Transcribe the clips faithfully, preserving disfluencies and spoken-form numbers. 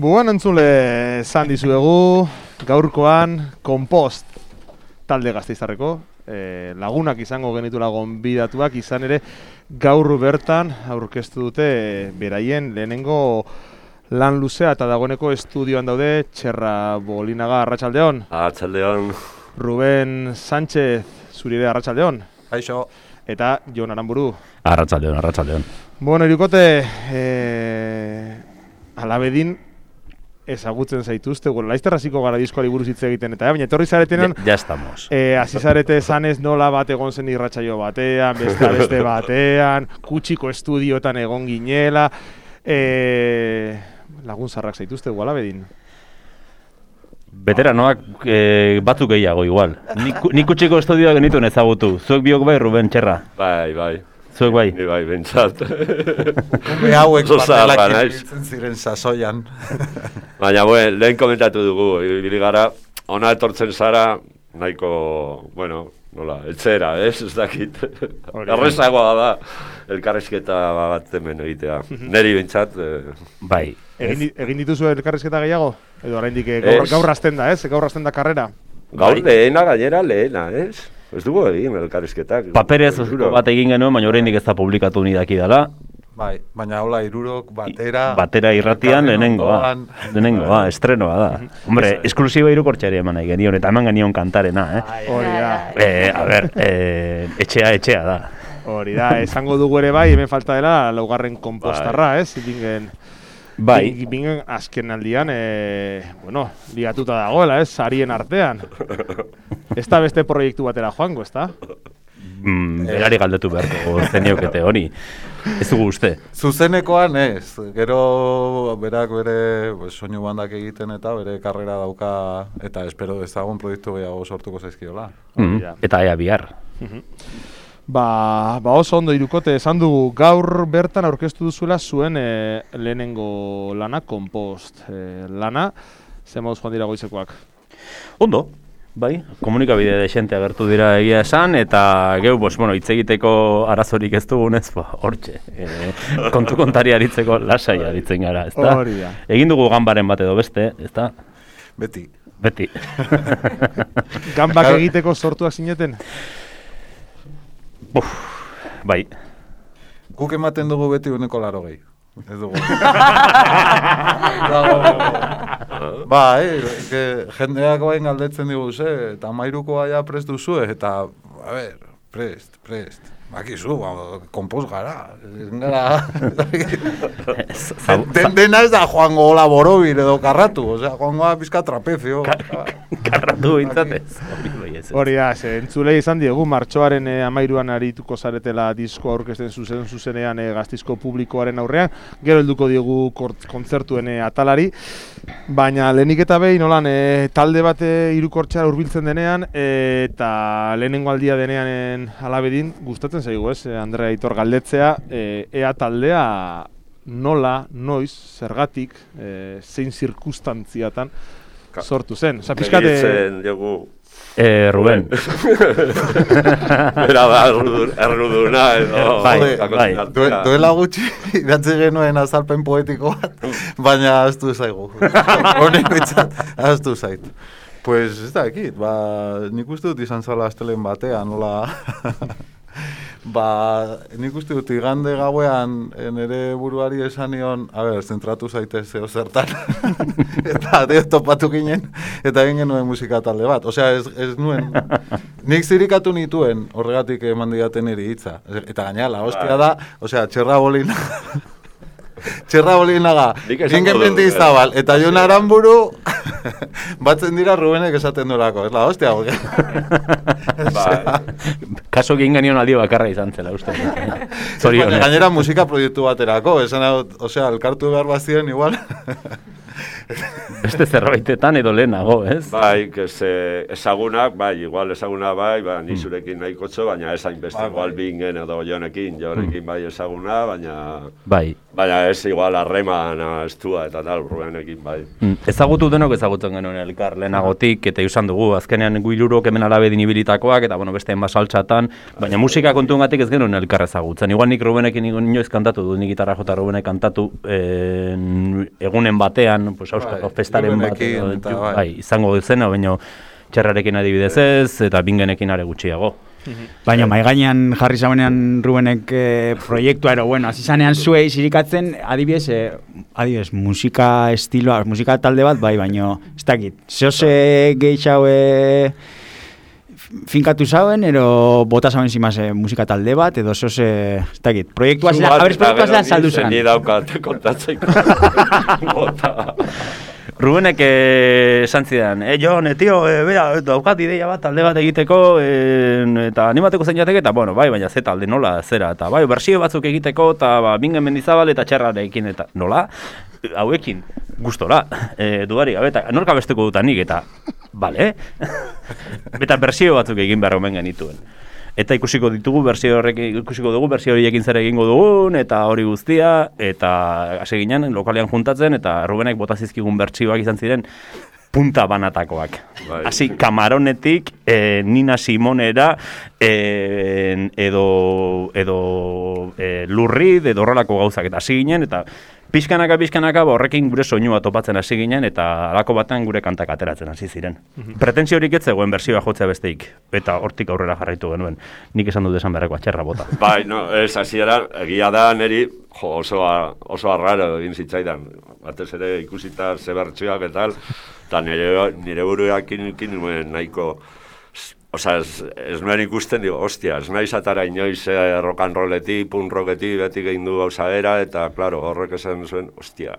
Bueno, entzule, esan dizuegu, gaurkoan Kompost talde Gasteiztarreko, e, lagunak izango genitula gonbidatuak, izan ere gaur bertan aurkeztu dute e, beraien lehenengo lan luzea eta dagoeneko estudioan daude Txerra Bolinaga, arratsaldeon. Arratsaldeon. Ruben Sánchez, zuri ere arratsaldeon. Kaixo. Eta Jon Aranburu. Arratsaldeon, arratsaldeon. Bueno, hirukote, eh, alabedin ezagutzen zaituzte, bueno, laizter hasiko gara diskoari buruz hitz egiten eta, baina etorri zaretenean ya, ya estamos. Eh, hasi zarete esanez nola bat egon zen irratsaio batean, beste beste batean, kutxiko estudiotan egon ginela, eh, lagun zarrak zaituzte alabedin. Veteranoak eh, batzuk gehiago igual. Nik kutxiko estudioa genituen ezagutu. Zuek biok bai, Ruben Txerra? Bai, bai. Zuek bai? Ni bai, bentsat. Ume hauek batelak ibiltzen ziren sasoian. Baina, buen, lehen komentatu dugu, ibili gara, ona etortzen zara, nahiko, bueno, nola, etxera, ez, ez dakit. Errezagoa da, elkarrezketa bat hemen egitea. Neri bentsat. Eh. Bai. Egin, egin dituzu elkarrezketa gehiago? Edo oraindik gaur, gaur hasten da, ez? Gaur hasten da karrera? Gaur bai. Lehena, gainera lehena, ez? Ez dugu egin elkarrizketak. Paperez bat egin genuen, baina oraindik ez da publikatu ni dakidala. Bai, baina hola irurok batera... Batera irratian lehenengoa. Lehenengoa, estrenoa da. Hombre, esklusiba irukortxari eman nahi genion, eta eman genion kantarena, eh? Hori da. Eh, a ber, eh, etxea, etxea da. Hori da, esango dugu ere bai, hemen falta dela laugarren konpostarra, ez? Bingen... Bai. Bingen azken aldian, e, bueno, ligatuta dagoela, ez? Sarien artean. Ez da beste proiektu batera joango, ez da? Mm, berari galdetu beharko zeniokete hori. Ez dugu uste. Zuzenekoan ez. Gero berak bere pues, soinu bandak egiten eta bere karrera dauka eta espero dezagun proiektu gehiago sortuko zaizkiola. Mm, eta ea bihar. Ba, ba oso ondo irukote, esan dugu gaur bertan aurkeztu duzuela zuen e, lehenengo lana, Kompost e, lana, zer moduz joan dira goizekoak? Ondo, bai, komunikabide desente agertu dira egia esan, eta geu, bos, bueno, hitz egiteko arazorik ez dugunez, ba, hortxe, e, kontu kontari aritzeko lasai aritzen gara, ezta? Hori da. Egin dugu ganbaren bat edo beste, ezta? Beti. Beti. Ganbak egiteko sortuak zineten? Uf, bai. Guk ematen dugu beti uneko laro gehi. Ez dugu. Ba, eh, jendeak bain galdetzen digu ze, eta mairukoa ja prest duzue, eta, a ber, prest, prest. Bakizu, konpoz gara. Gara... Den, dena ez da joango hola borobir edo karratu, osea, joangoa pizka trapezio. Karratu bintzatez. Hori da, entzulei izan diegu, martxoaren e, amairuan arituko zaretela disko aurkezten zuzen zuzenean e, Gasteizko publikoaren aurrean, gero helduko diegu kontzertuen e, atalari, baina lehenik eta behin nolan e, talde bat hirukortxera hurbiltzen denean e, eta lehenengo aldia denean alabedin gustatzen zaigu, ez, Andrea Aitor galdetzea, e, ea taldea nola, noiz, zergatik, e, zein zirkustantziatan sortu zen. Osa, pixkate... Eh, Ruben. Era da, erruduna, edo... Bai, bai. Duela gutxi, idatzi genuen azalpen poetiko bat, baina aztu zaigu. Honek bitzat, aztu zait. Pues ez da ekit, ba, nik uste dut izan zala astelen batean, nola... Ba, nik uste dut igande gauean nire buruari esan nion, a ber, zentratu zaitez zeo zertan. Eta deo topatu ginen, eta egin genuen musika talde bat. Osea, ez, ez nuen, nik zirikatu nituen horregatik eman diaten eri hitza. Eta gainera, la hostia da, osea, Txerra Bolina... Txerra Bolinaga, ningen benti izabal, eta Jon Aranburu batzen dira Rubenek esaten durako, ez la hostia, porque... Kaso egin genion aldio bakarra izan zela, uste. Gainera musika proiektu baterako, esan hau, osea, elkartu behar bazien igual... Beste zerbaitetan edo lehenago, ez? Bai, ezagunak, bai, igual ezaguna bai, ba, nizurekin nahikotxo, baina ezain beste igual bingen edo Jonekin, Jonekin bai ezaguna, baina... Bai. Baina ez igual harreman estua eta tal, Rubenekin bai. Ezagutu denok ezagutzen genuen elkar lehenagotik, eta usan dugu, azkenean guilurok hemen alabedin ibilitakoak, eta bueno, beste enbasaltxatan, baina musika kontuengatik ez genuen elkar ezagutzen. Igual nik Rubenekin inoiz kantatu du, nik gitarra jota Rubenek kantatu egunen batean, bueno, pues Euskal Bai, festaren bat, Rubenekin edo, eta ju- bai. bai, izango duzena, baina txerrarekin adibidez ez, eta bingenekin are gutxiago. Baina mai gainean jarri zaunean Rubenek eh, proiektua ero, bueno, hasi zanean zuei zirikatzen, adibidez, eh, adibidez, musika estiloa, musika talde bat, bai, baino, ez dakit, zehose gehiago eh, finkatu zauen, ero bota zauen zimaz eh, musika talde bat, edo zehose, ez dakit, proiektua zela, abres proiektua zela saldu zen. Ni daukat kontatzeko. Bota. Rubenek eh, esan zidan, eh, Jon, eh, tio, eh, bera, daukat ideia bat, talde bat egiteko, eh, eta animateko zein jateke, eta, bueno, bai, baina ze talde nola, zera, eta, bai, bersio batzuk egiteko, eta, ba, Bingen Mendizabal eta Txerrarekin, eta, nola? Hauekin, gustora, eh, dudari gabe, eta norka besteko dutanik, eta, bale, eta bersio batzuk egin behar omen genituen. Eta ikusiko ditugu bersio horrek, ikusiko dugu bersio horiekin zer egingo dugun, eta hori guztia, eta hasi ginen lokalean juntatzen, eta Rubenek bota zizkigun bertsioak izan ziren punta banatakoak. Bai. Hasi Kamaronetik, eh, Nina Simonera, eh, edo, edo eh, Lurrid, edo horrelako gauzak, eta hasi ginen, eta pixkanaka, pixkanaka, ba, horrekin gure soinua topatzen hasi ginen, eta halako batean gure kantak ateratzen hasi ziren. Pretensio horik ez zegoen bersioa jotzea besteik, eta hortik aurrera jarraitu genuen. Nik esan dut esan beharreko atxerra bota. Bai, no, ez hasiera, egia da niri, jo, oso, oso arraro egin zitzaidan. Batez ere ikusita ze bertsioak eta tal, eta nire, nire buruakin nuen nahiko. Osa, ez, ez nuen ikusten, digo, ostia, ez nahi zatara inoiz eh, rock and rolletik, punk rocketi, beti gehin du gauza bera, eta, klaro, horrek esan zuen, ostia,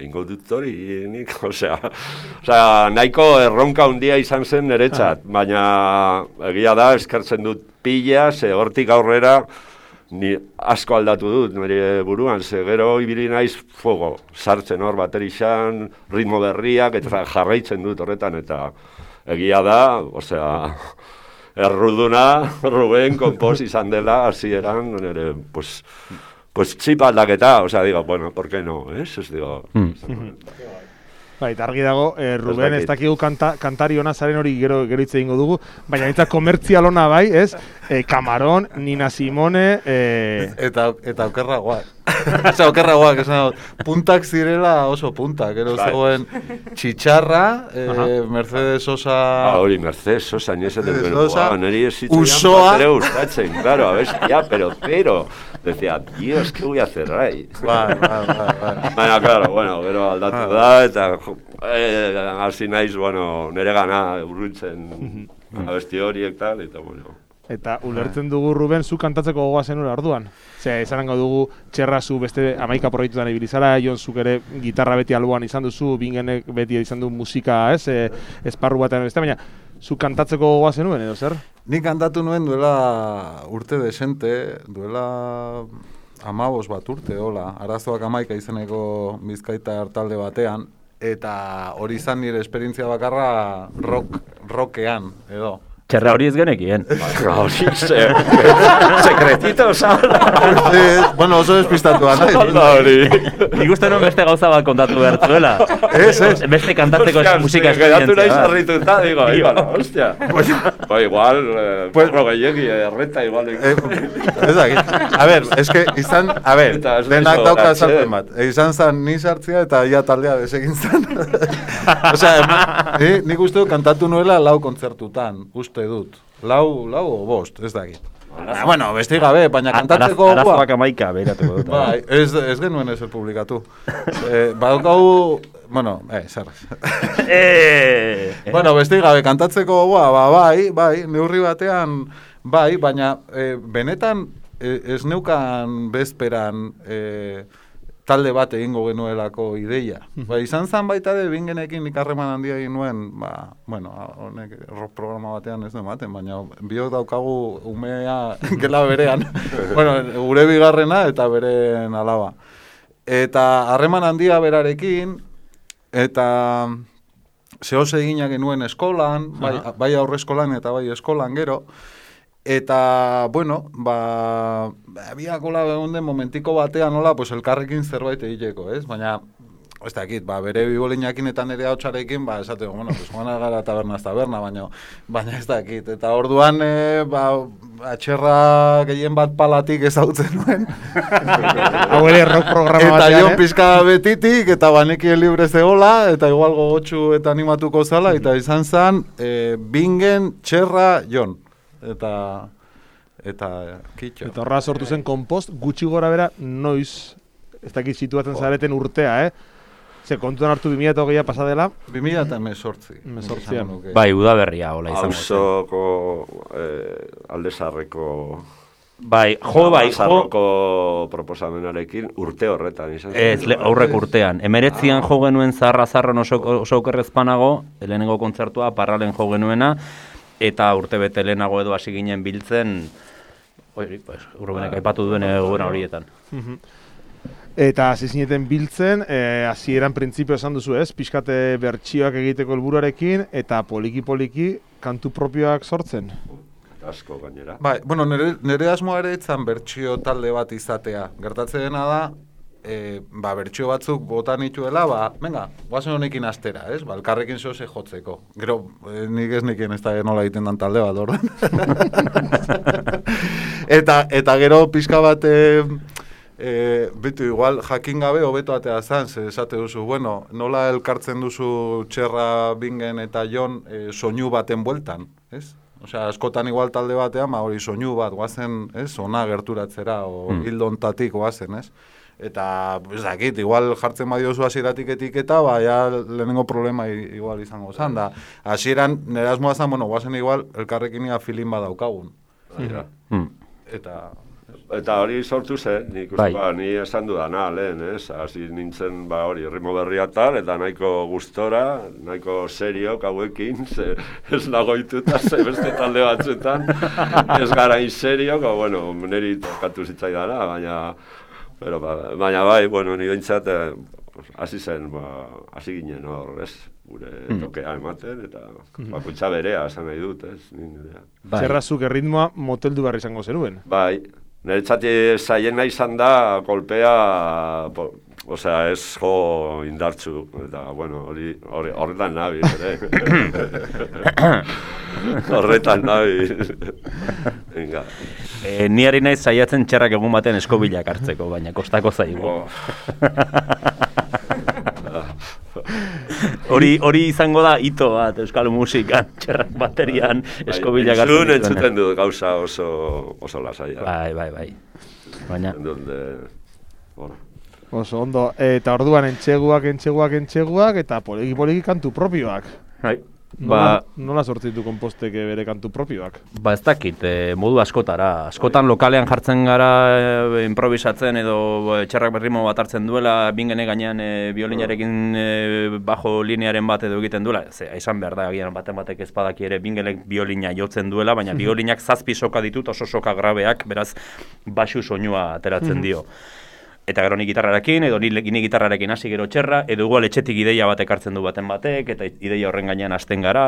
ingo dut hori, nik, osea, osea, nahiko erronka handia izan zen niretzat, baina egia da, eskertzen dut pila, ze hortik aurrera, ni asko aldatu dut nire buruan, ze gero ibili naiz fuego, sartzen hor baterixan, ritmo berriak, eta jarraitzen dut horretan, eta egia da, osea, erruduna, Ruben, kompos izan dela, hasieran, nire, pues, pues txipa aldaketa, osea, digo, bueno, ¿por qué no, es? Es digo... Mm. Bai, argi dago, eh, Ruben, ez dakigu kanta, kantari ona zaren hori gero gero hitz egingo dugu, baina eta komertzial ona bai, ez? Eh, Kamaron, Nina Simone, eh... Eta, eta okerragoak. Osa, okerragoak, esan dut, puntak zirela oso puntak, ero zegoen Txitxarra, eh, Mercedes Sosa... Ah, hori, Mercedes Sosa, ni ese Mercedes de Sosa, neri esitu Usoa... ya gustatzen, claro, a ver, ya, pero, pero, decía, Dios, ¿qué voy a hacer ahí? Bai, bai, bai, bai. Baina, claro, bueno, gero aldatu da, eta eh, hasi naiz, bueno, nere gana urruntzen abesti horiek tal, eta bueno... Eta ulertzen dugu, Ruben, zu kantatzeko gogoa zenura orduan. Zer, esanango dugu txerra zu beste amaika proiektutan ibili zara, Jon zuk ere gitarra beti alboan izan duzu, Bingenek beti izan du musika, ez, e, esparru batean beste, baina zu kantatzeko gogoa zenuen, edo zer? Nik kantatu nuen duela urte desente, duela amabos bat urte, hola, arazoak amaika izeneko Bizkaitar talde batean, eta hori izan nire esperientzia bakarra rock, rockean, edo. Txerra hori ez genekien. Hori, sekretito, salda. Bueno, oso despistatua nahi. Salda hori. Nik uste non beste gauza bat kontatu behar zuela. Ez, ez. Beste kantatzeko musika esperientzia. Geratu nahi esperientzia. sarrituta, digo, igual, hostia. Ba, igual, porro gehiagi, erreta igual. Ez dakit. A ver, es que izan, a ver, Eta ez denak naiz dauka gogoratzen. sartzen bat. Izan zan ni sartzea eta ja taldea desegin zan. Osea, ni, nik uste dut kantatu nuela lau kontzertutan, uste dut. Lau, lau o bost, ez dakit. Ah, bueno, besti gabe, baina kantatzeko... Arazoak amaika behiratuko dut. Bai, ez, ez genuen ezer publikatu. eh, badaukagu... Bueno, eh, zer. eh, Bueno, besti gabe, kantatzeko gogoa, ba, bai, bai, neurri batean, bai, baina eh, benetan eh, ez neukan bezperan eh, talde bat egingo genuelako ideia. Ba, izan zan baita de Bingenekin nik harreman handia egin nuen, ba, bueno, honek rock programa batean ez du ematen, baina biok daukagu umea gela berean. Bueno, gure bigarrena eta beren alaba. Eta harreman handia berarekin, eta zehose egina genuen eskolan, bai, bai aurre eskolan eta bai eskolan gero, eta, bueno, ba, biakola egon den momentiko batean nola, pues elkarrekin zerbait egiteko, ez? Baina ez dakit, ba, bere bibolinakin eta nire hautsarekin, ba, esateko, bueno, pues, joan gara tabernaz taberna, baina, baina ez dakit. Eta orduan, e, ba, atxerra gehien bat palatik ezautzen nuen. Hau ere rock programa Eta batean, jo eh? pizka betitik, eta banekien libre zegola, eta igual gogotxu eta animatuko zala, eta izan zen, e, bingen, txerra, jon. Eta, eta, kitxo. Eta horra sortu zen kompost, gutxi gora bera, noiz, ez dakit situatzen zareten urtea, eh? Ze kontuan hartu bi mila hogeia pasa dela. bi mila eta hemezortzi. Hemezortzian. Bai, udaberria hola izango. Auzoko eh, aldezarreko Bai, jo, bai, jo. Aldezarroko proposamenarekin urte horretan izan. Ez, le, aurrek urtean. Emeretzian jo genuen zarra zarran oso, oso okerrezpanago, lehenengo kontzertua, parralen jo genuena, eta urte bete lehenago edo hasi ginen biltzen, hori, pues, Urbenek aipatu duen egoera horietan. Eta hasi zineten biltzen, eh, hasieran printzipio esan duzu ez, pixkate bertsioak egiteko helburuarekin eta poliki-poliki kantu propioak sortzen. Asko gainera. Bai, bueno, nire, nire asmoa ere etzan bertsio talde bat izatea. Gertatzen dena da, e, ba, bertsio batzuk botan nituela, ba, venga, guazen honekin astera, ez? Ba, elkarrekin zoze jotzeko. Gero, e, nik ez nekien ez da nola egiten dan talde bat, ordan. eta, eta gero pixka bat... E, E, bitu, igual jakin gabe hobeto atea zan, ze esate duzu, bueno, nola elkartzen duzu txerra, bingen eta jon e, soinu baten bueltan, ez? Osea, askotan igual talde batean, ma hori soinu bat, guazen, ez? Ona gerturatzera, o mm. hildontatik guazen, ez? Eta, ez dakit, igual jartzen badiozu hasieratik etiketa, ba, ja lehenengo problema igual izango zan, da. Hasieran, nire asmoa zan, bueno, guazen igual, elkarrekin ia filin badaukagun. Mm. Eta... Eta hori sortu zen, nik uste, ba, ni esan dudana, lehen, ez? Hasi nintzen, ba, hori, ritmo berria tal, eta nahiko gustora, nahiko seriok hauekin, ze, ez nagoituta, ze beste talde batzuetan, ez gara in seriok, o, bueno, niri tokatu zitzaidana, baina, pero, ba, baina bai, bueno, ni behintzat, hasi zen, ba, hasi ginen hor, ez? Gure tokea ematen, eta bakoitza berea, esan nahi dut, ez? Bai. Zerrazuk erritmoa moteldu behar izango zenuen. Bai. Niretzati zaiena izan da kolpea, po, osea, ez jo indartzu, eta, bueno, hori horretan nabi, ere. Horretan nabi. Venga. E, ni ari naiz saiatzen txerrak egun baten eskobilak hartzeko, baina kostako zaigu. Hori hori izango da hito bat euskal musikan, txerrak baterian, eskobilak hartzen dituen. Entzun entzuten dut gauza oso, oso lasaia. Bai, bai, bai. Baina... Donde, bueno. Oso ondo, eta orduan entxeguak, entxeguak, entxeguak, eta poliki-poliki kantu propioak. Bai. Nola, ba, nola sortzitu konposteke bere kantu propioak? Ba ez dakit, e, modu askotara. Askotan lokalean jartzen gara e, improvisatzen edo e, txerrak berrimo bat hartzen duela, bingene gainean e, biolinarekin e, bajo linearen bat edo egiten duela. Ze, izan behar da, agian baten batek ez badaki ere bingelek biolina jotzen duela, baina biolinak zazpi soka ditut, oso soka grabeak, beraz baxu soinua ateratzen dio. Eta gero ni gitarrarekin, edo ni, ni gitarrarekin hasi gero txerra, edo igual etxetik ideia batek hartzen du baten batek, eta ideia horren gainean hasten gara,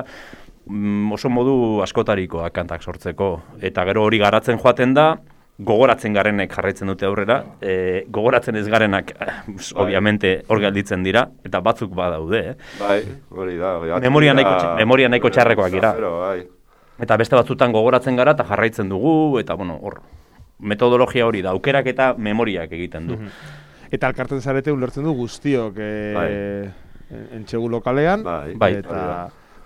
mm, oso modu askotarikoa kantak sortzeko. Eta gero hori garatzen joaten da, gogoratzen garenek jarraitzen dute aurrera, e, gogoratzen ez garenak, bai. Obviamente, hor gelditzen dira, eta batzuk badaude, eh? Bai, hori da. Memoria nahiko, memoria nahiko txarrekoak dira. Bai. Eta beste batzutan gogoratzen gara, eta jarraitzen dugu, eta bueno, hor... metodologia hori da, aukerak eta memoriak egiten du. Eta alkartzen zarete ulertzen du guztiok e, bai. Entxegu lokalean, bai. Bai. Eta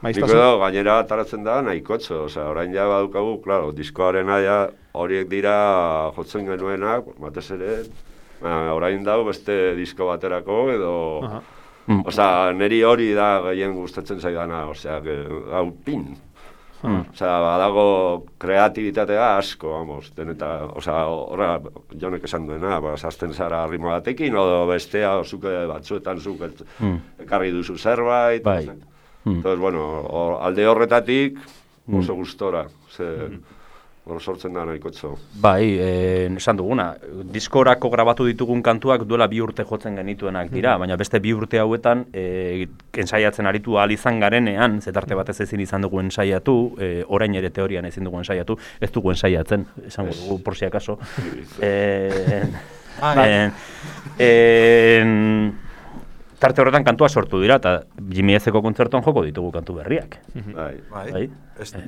maiztasun... Niko da, gainera ataratzen da nahikotxo, osea, orain ja badukagu, klaro, diskoaren aia horiek dira jotzen genuenak, batez ere, orain dau beste disko baterako, edo... Mm. Osea, niri hori da gehien gustatzen zaidana, osea, hau pin. Hmm. Osea, badago kreatibitatea asko, vamos, eta, osea, horra, jonek esan duena, ba, zazten zara ritmo batekin, o bestea, o zuke batzuetan zuke hmm. ekarri duzu zerbait. Bai. Hmm. Entonces, bueno, o, alde horretatik oso gustora, ze... Hmm. Hor sortzen da nahikotxo. Bai, eh, esan duguna, diskorako grabatu ditugun kantuak duela bi urte jotzen genituenak dira, baina beste bi urte hauetan eh, ensaiatzen aritu ahal izan garenean, zetarte batez ezin izan dugu ensaiatu, eh, orain ere teorian ezin dugu ensaiatu, ez dugu ensaiatzen, esango dugu, por si acaso. eh, eh, eh, tarte horretan kantua sortu dira, eta Jimmy Ezeko kontzertuan joko ditugu kantu berriak. Bai. Bai?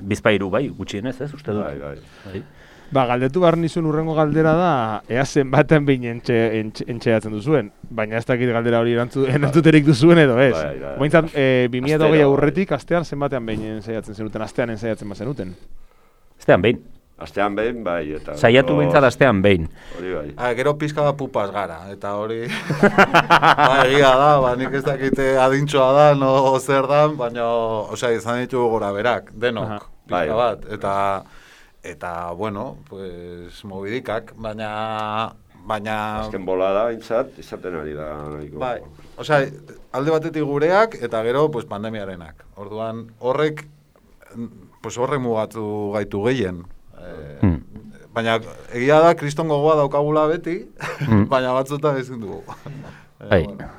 Bizpairu, bai, gutxienez, ez, uste dut. Bai, bai. Bai. Ba, galdetu behar nizun urrengo galdera da, ea zenbaten behin entxe, entxe, entxeatzen duzuen, baina ez dakit galdera hori erantzu, erantzuterik duzuen edo ez. Bai, bai. Bointzat, e, bi mila hogei Astero, aurretik, astean zenbatean behin ensaiatzen zenuten, astean ensaiatzen bazenuten. Astean behin. Astean behin, bai, eta... Saiatu behintzat astean behin. Hori bai. Ah, gero pizka bat pupas gara, eta hori... ba, egia da, ba, nik ez dakite adintxoa da, no zer dan, baina, osea, izan ditugu gora berak, denok, Aha. pizka Bai. bat, eta... Eta, bueno, pues, mobidikak, baina... baina... Azken bolada, intzat, izaten ari da. Nahiko. Bai, osea, alde batetik gureak, eta gero, pues, pandemiarenak. Orduan, horrek, pues, horrek mugatu gaitu gehien. Eh, Hmm. Baina, egia da, kriston gogoa daukagula beti, Hmm. baina batzutan ezin dugu. Eh, Bai. bueno.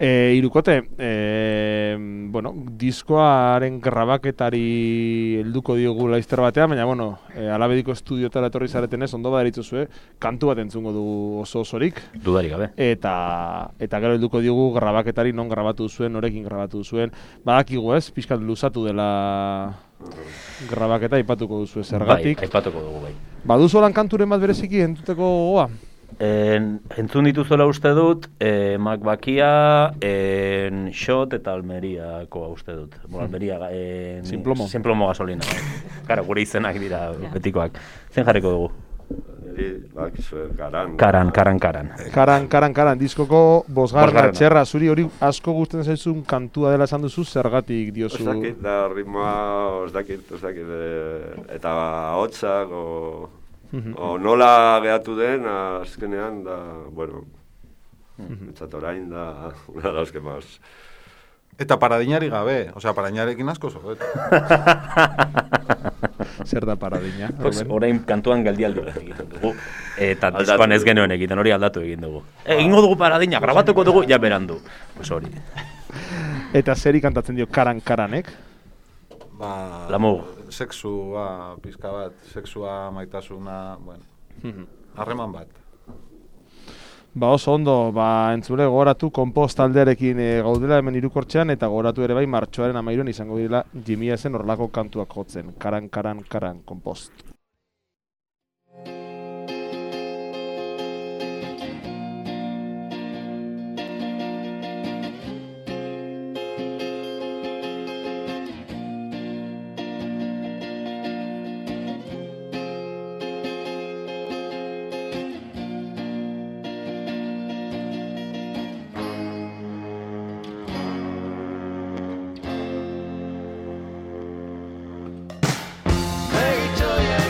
E, irukote, e, bueno, diskoaren grabaketari helduko diogu laizter batean, baina, bueno, e, Alabediko estudiotara etorri zaretenez, ondo badaritzuzue, kantu bat entzungo du oso osorik, Dudarik gabe. eta eta gero helduko diogu grabaketari non grabatu zuen, norekin grabatu zuen, badakigu ez, pixkat luzatu dela grabaketa aipatuko duzu zergatik. Bai, aipatuko dugu, bai. Baduzu lan kanturen bat bereziki entuteko gogoa? En, entzun dituzuela uste dut, eh, Macbakia, en, Shot eta Almeriako uste dut. Bueno, Almeria, en, Sinplomo. Sinplomo gasolina. Karo, gure izenak dira betikoak. Zen jarriko dugu? Niri, bak, zuen, karan. Karan, karan, karan. Karan, karan, karan, diskoko bosgarna Bosgarrena. txerra, zuri hori asko gusten zaizun kantua dela esan duzu, zergatik diozu? Ez dakit, da ritmoa, ez dakit, ez dakit, e, eta hotxak, o, o nola gehatu den, azkenean, da, bueno, entzat orain, da, una dauzke maz. Eta paradinari gabe, osea, paradinarekin asko zoet. Zer da paradina? Pues, Ruben? orain kantuan geldialdi bat egiten dugu. Eta Aldatu diskoan ez dugu. genuen egiten, hori aldatu egin dugu. E, egingo dugu paradina, grabatuko dugu, ja berandu. Pues hori. Eta zeri kantatzen dio karan karanek? Ba, Lamu. Sexua, pizka bat, sexua, maitasuna, bueno, harreman bat. Ba oso ondo, ba entzule gogoratu Konpost taldearekin e, gaudela hemen Hirukortxean eta gogoratu ere bai martxoaren hamairuan izango direla Jimmy Ezen horrelako kantuak jotzen. Karan, karan, karan, Konpost. Begitxoiek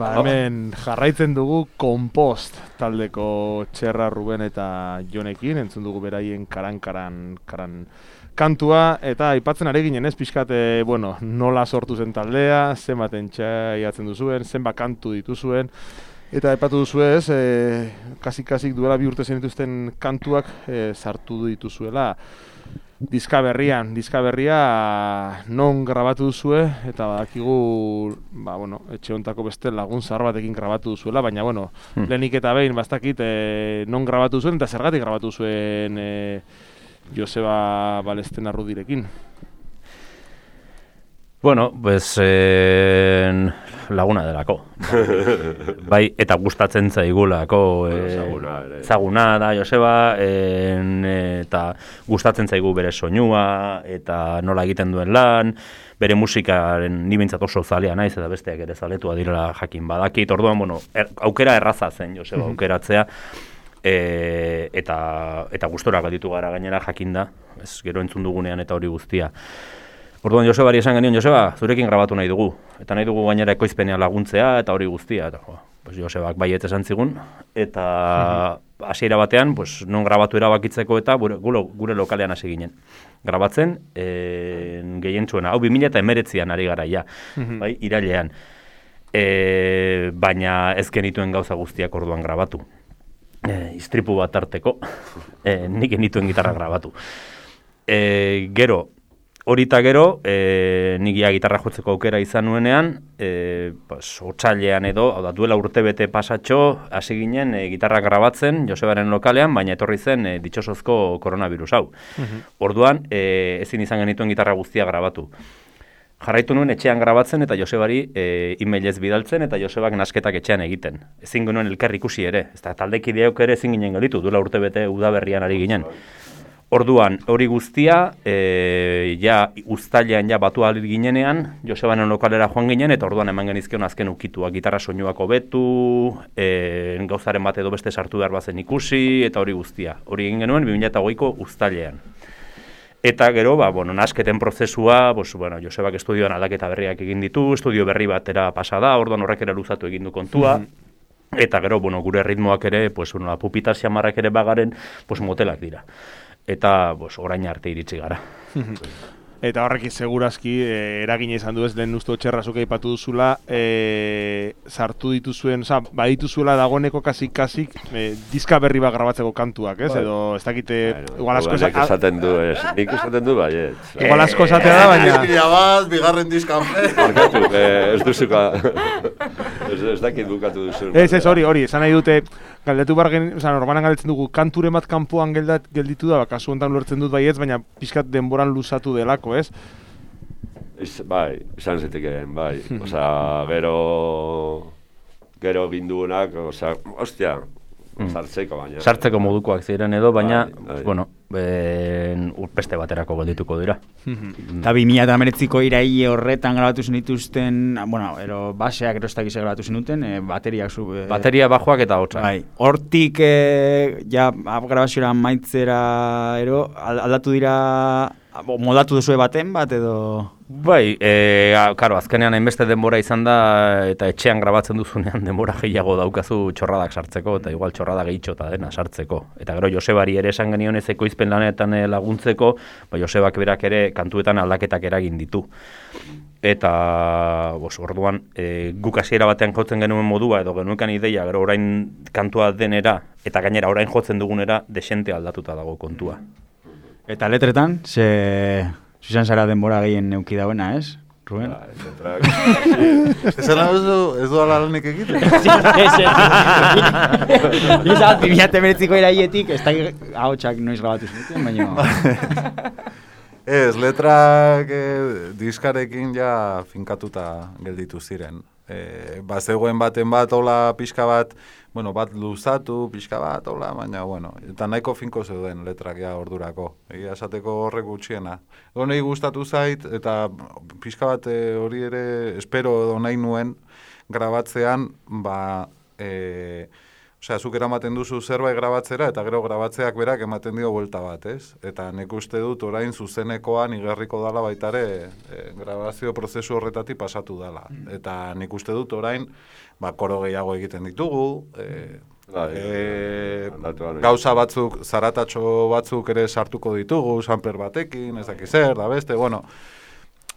Ba, hemen jarraitzen dugu Kompost taldeko Txerra, Ruben eta Jonekin, entzun dugu beraien karan-karan karan kantua, eta aipatzen ari ginen ez, pixkat, e, bueno, nola sortu zen taldea, zenbat entxaiatzen duzuen, zenbat kantu dituzuen, eta aipatu duzu ez, e, kasik-kasik duela bi urte zen dituzten kantuak e, sartu dituzuela. Diska berrian, diska berria non grabatu duzue, eta badakigu, ba, bueno, etxe hontako beste lagun zahar batekin grabatu duzuela, baina, bueno, hmm. lehenik eta behin, bastakit, e, non grabatu duzuen, eta zergatik grabatu zuen e, Joseba Balesten Arrudirekin. Bueno, pues eh, laguna delako. Bai, eta gustatzen zaigulako. Eh, Zaguna da Joseba, eh, eta gustatzen zaigu bere soinua, eta nola egiten duen lan, bere musikaren ni behintzat oso zalea naiz, eta besteak ere zaletua direla jakin badakit. Orduan, bueno, er, aukera erraza zen Joseba aukeratzea, e, eta, eta gustora galditu gara gainera jakinda, ez gero entzun dugunean eta hori guztia. Orduan Josebari esan genion, Joseba, zurekin grabatu nahi dugu. Eta nahi dugu gainera ekoizpenean laguntzea eta hori guztia. Eta, jo, pues Josebak baiet esan zigun. Eta hasiera batean, pues, non grabatu erabakitzeko eta gure, gure lokalean hasi ginen. Grabatzen, e, gehientsuena. Hau, bi mila hemeretzian ari gara ja, bai, irailean. E, baina ez genituen gauza guztiak orduan grabatu. E, istripu bat arteko, e, nik genituen gitarra grabatu. E, gero, Horita gero, e, nigia gitarra jotzeko aukera izan nuenean, e, pues, otsailean edo, hau da, duela urte bete pasatxo, hasi ginen e, gitarra grabatzen Josebaren lokalean, baina etorri zen e, ditxosozko koronavirus hau. Uh-huh. Orduan, e, ezin izan genituen gitarra guztia grabatu. Jarraitu nuen etxean grabatzen eta Josebari e, e-mailez bidaltzen eta Josebak nasketak etxean egiten. Ezin genuen elkar ikusi ere, ez da taldekideok ere ezin ginen gelitu, duela urte bete udaberrian ari ginen. Orduan, hori guztia, e, ja, uztailean ja batu ahal ginenean, Josebanen lokalera joan ginen, eta orduan eman genizkion azken ukituak, gitarra soinuak hobetu, e, gauzaren bat edo beste sartu behar bazen ikusi, eta hori guztia. Hori egin genuen, bi mila hogeiko uztailean. Eta gero, ba, bueno, nasketen prozesua, bos, bueno, Josebak estudioan aldaketa berriak egin ditu, estudio berri batera pasa da, orduan horrek ere luzatu egin du kontua, mm-hmm. Eta gero, bueno, gure ritmoak ere, pues, una pupitas xamarrak ere bagaren, pues, motelak dira. Eta pues, orain arte iritsi gara. Eta horrek segurazki eh, eragina izan du ez, lehen uste Txerrazuk aipatu duzula, eh, sartu dituzuen, oza, badituzuela dagoeneko kasik-kasik eh, diska berri bat grabatzeko kantuak, ez? Edo ez dakite, bueno, igual asko nik esaten du, ez, nik esaten du, bai, ez. Igual asko esatea da, baina... Eskila bat, bigarren diskan. Markatu, eh, ez duzuka, ez, ez dakit bukatu duzu. Ez, ez, hori, hori, esan nahi dute, galdetu bargen, oza, normalan galdetzen dugu, kanture bat kanpoan geldat, gelditu da, kasu honetan lortzen dut baietz, baina pixkat denboran luzatu delako, ez? Ez, bai, izan zitekeen, bai. Osa, gero, gero ginduenak, osa, ostia, sartzeko baina. Sartzeko modukoak ziren edo, baina, bai, bai. bueno, ben, urpeste baterako geldituko dira. Eta bi mila hemeretziko iraile horretan grabatu zenituzten, bueno, ero baseak ero ez dakize grabatu zenuten, e, bateriak zu... E, Bateria bajoak eta hotza. Bai, hortik, e, ja, grabaziora maitzera, ero, aldatu dira, modatu duzue baten bat edo... Bai, e, karo, azkenean hainbeste denbora izan da, eta etxean grabatzen duzunean denbora gehiago daukazu txorradak sartzeko, eta igual txorrada gehitxota dena sartzeko. Eta gero Josebari ere esan genion ez ekoizpen lanetan laguntzeko, ba, Josebak berak ere kantuetan aldaketak eragin ditu. Eta, bos, orduan, e, guk hasiera batean jotzen genuen modua, edo genuekan ideia, gero orain kantua denera, eta gainera orain jotzen dugunera, desente aldatuta dago kontua. Eta letretan, ze... Zuzan zara denbora gehien neuki dauena, ez, Ruben? Ba, ez letrak... Ez ala ez du ala lanik egiten? Ez, ez. Izat, bi mila hemeretziko iraietik, ez da ahotsak noiz grabatu zenuten, baina... Ez, letrak eh, diskarekin ja finkatuta gelditu ziren. Eh, bazegoen baten bat, hola pixka bat, bueno, bat luzatu, pixka bat, hola, baina, bueno, eta nahiko finko zeuden letrak ja ordurako. Egia esateko horrek gutxiena. Gonei gustatu zait, eta pixka bat eh, hori ere espero edo nahi nuen grabatzean, ba, eh, osea, zuk eramaten duzu zerbait grabatzera, eta gero grabatzeak berak ematen dio buelta bat, ez? Eta nik uste dut orain zuzenekoan igerriko dala baitare e, grabazio prozesu horretatik pasatu dala. Eta nik uste dut orain, ba, koro gehiago egiten ditugu, e, E, gauza batzuk, zaratatxo batzuk ere sartuko ditugu, sampler batekin, ez dakiz zer, da beste, bueno,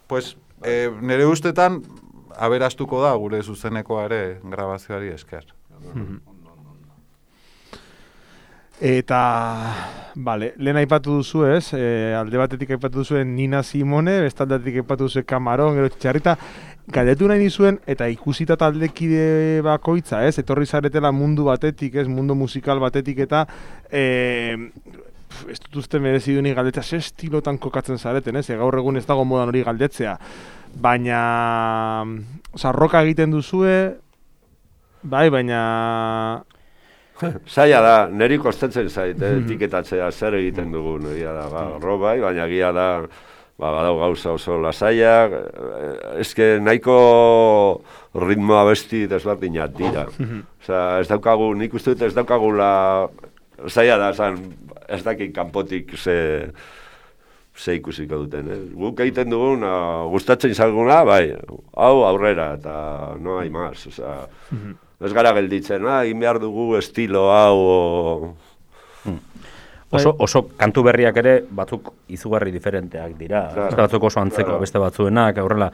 pues, e, nire ustetan, aberastuko da gure zuzenekoa ere grabazioari esker. Eta, bale, lehen aipatu duzu ez, e, alde batetik aipatu duzuen Nina Simone, bestaldetik aipatu duzu Kamaron, gero Txarrita, galdetu nahi nizuen, eta ikusita taldekide bakoitza, ez, etorri zaretela mundu batetik, ez, mundu musikal batetik, eta e, ez dut uste merezi duenik galdetzea, ze estilotan kokatzen zareten, ez, e, gaur egun ez dago modan hori galdetzea, baina, oza, roka egiten duzue, bai, baina... Zaila da, niri kostatzen zait, eh, etiketatzea zer egiten dugun, egia da, ba, robai, baina egia da, ba, badau gauza oso lasaiak, eske nahiko ritmoa besti desberdinak dira. Osea, ez daukagu, nik uste dut ez daukagula, zaila da, zan, ez dakit kanpotik ze, ze ikusiko duten, eh? Guk egiten dugun, gustatzen zaiguna, bai, hau aurrera, eta no hai más, osea, ez gara gelditzen, ah, egin behar dugu estilo hau, o... Oso, oso kantu berriak ere batzuk izugarri diferenteak dira. Claro, beste batzuk oso antzeko, claro. Beste batzuenak, aurrela.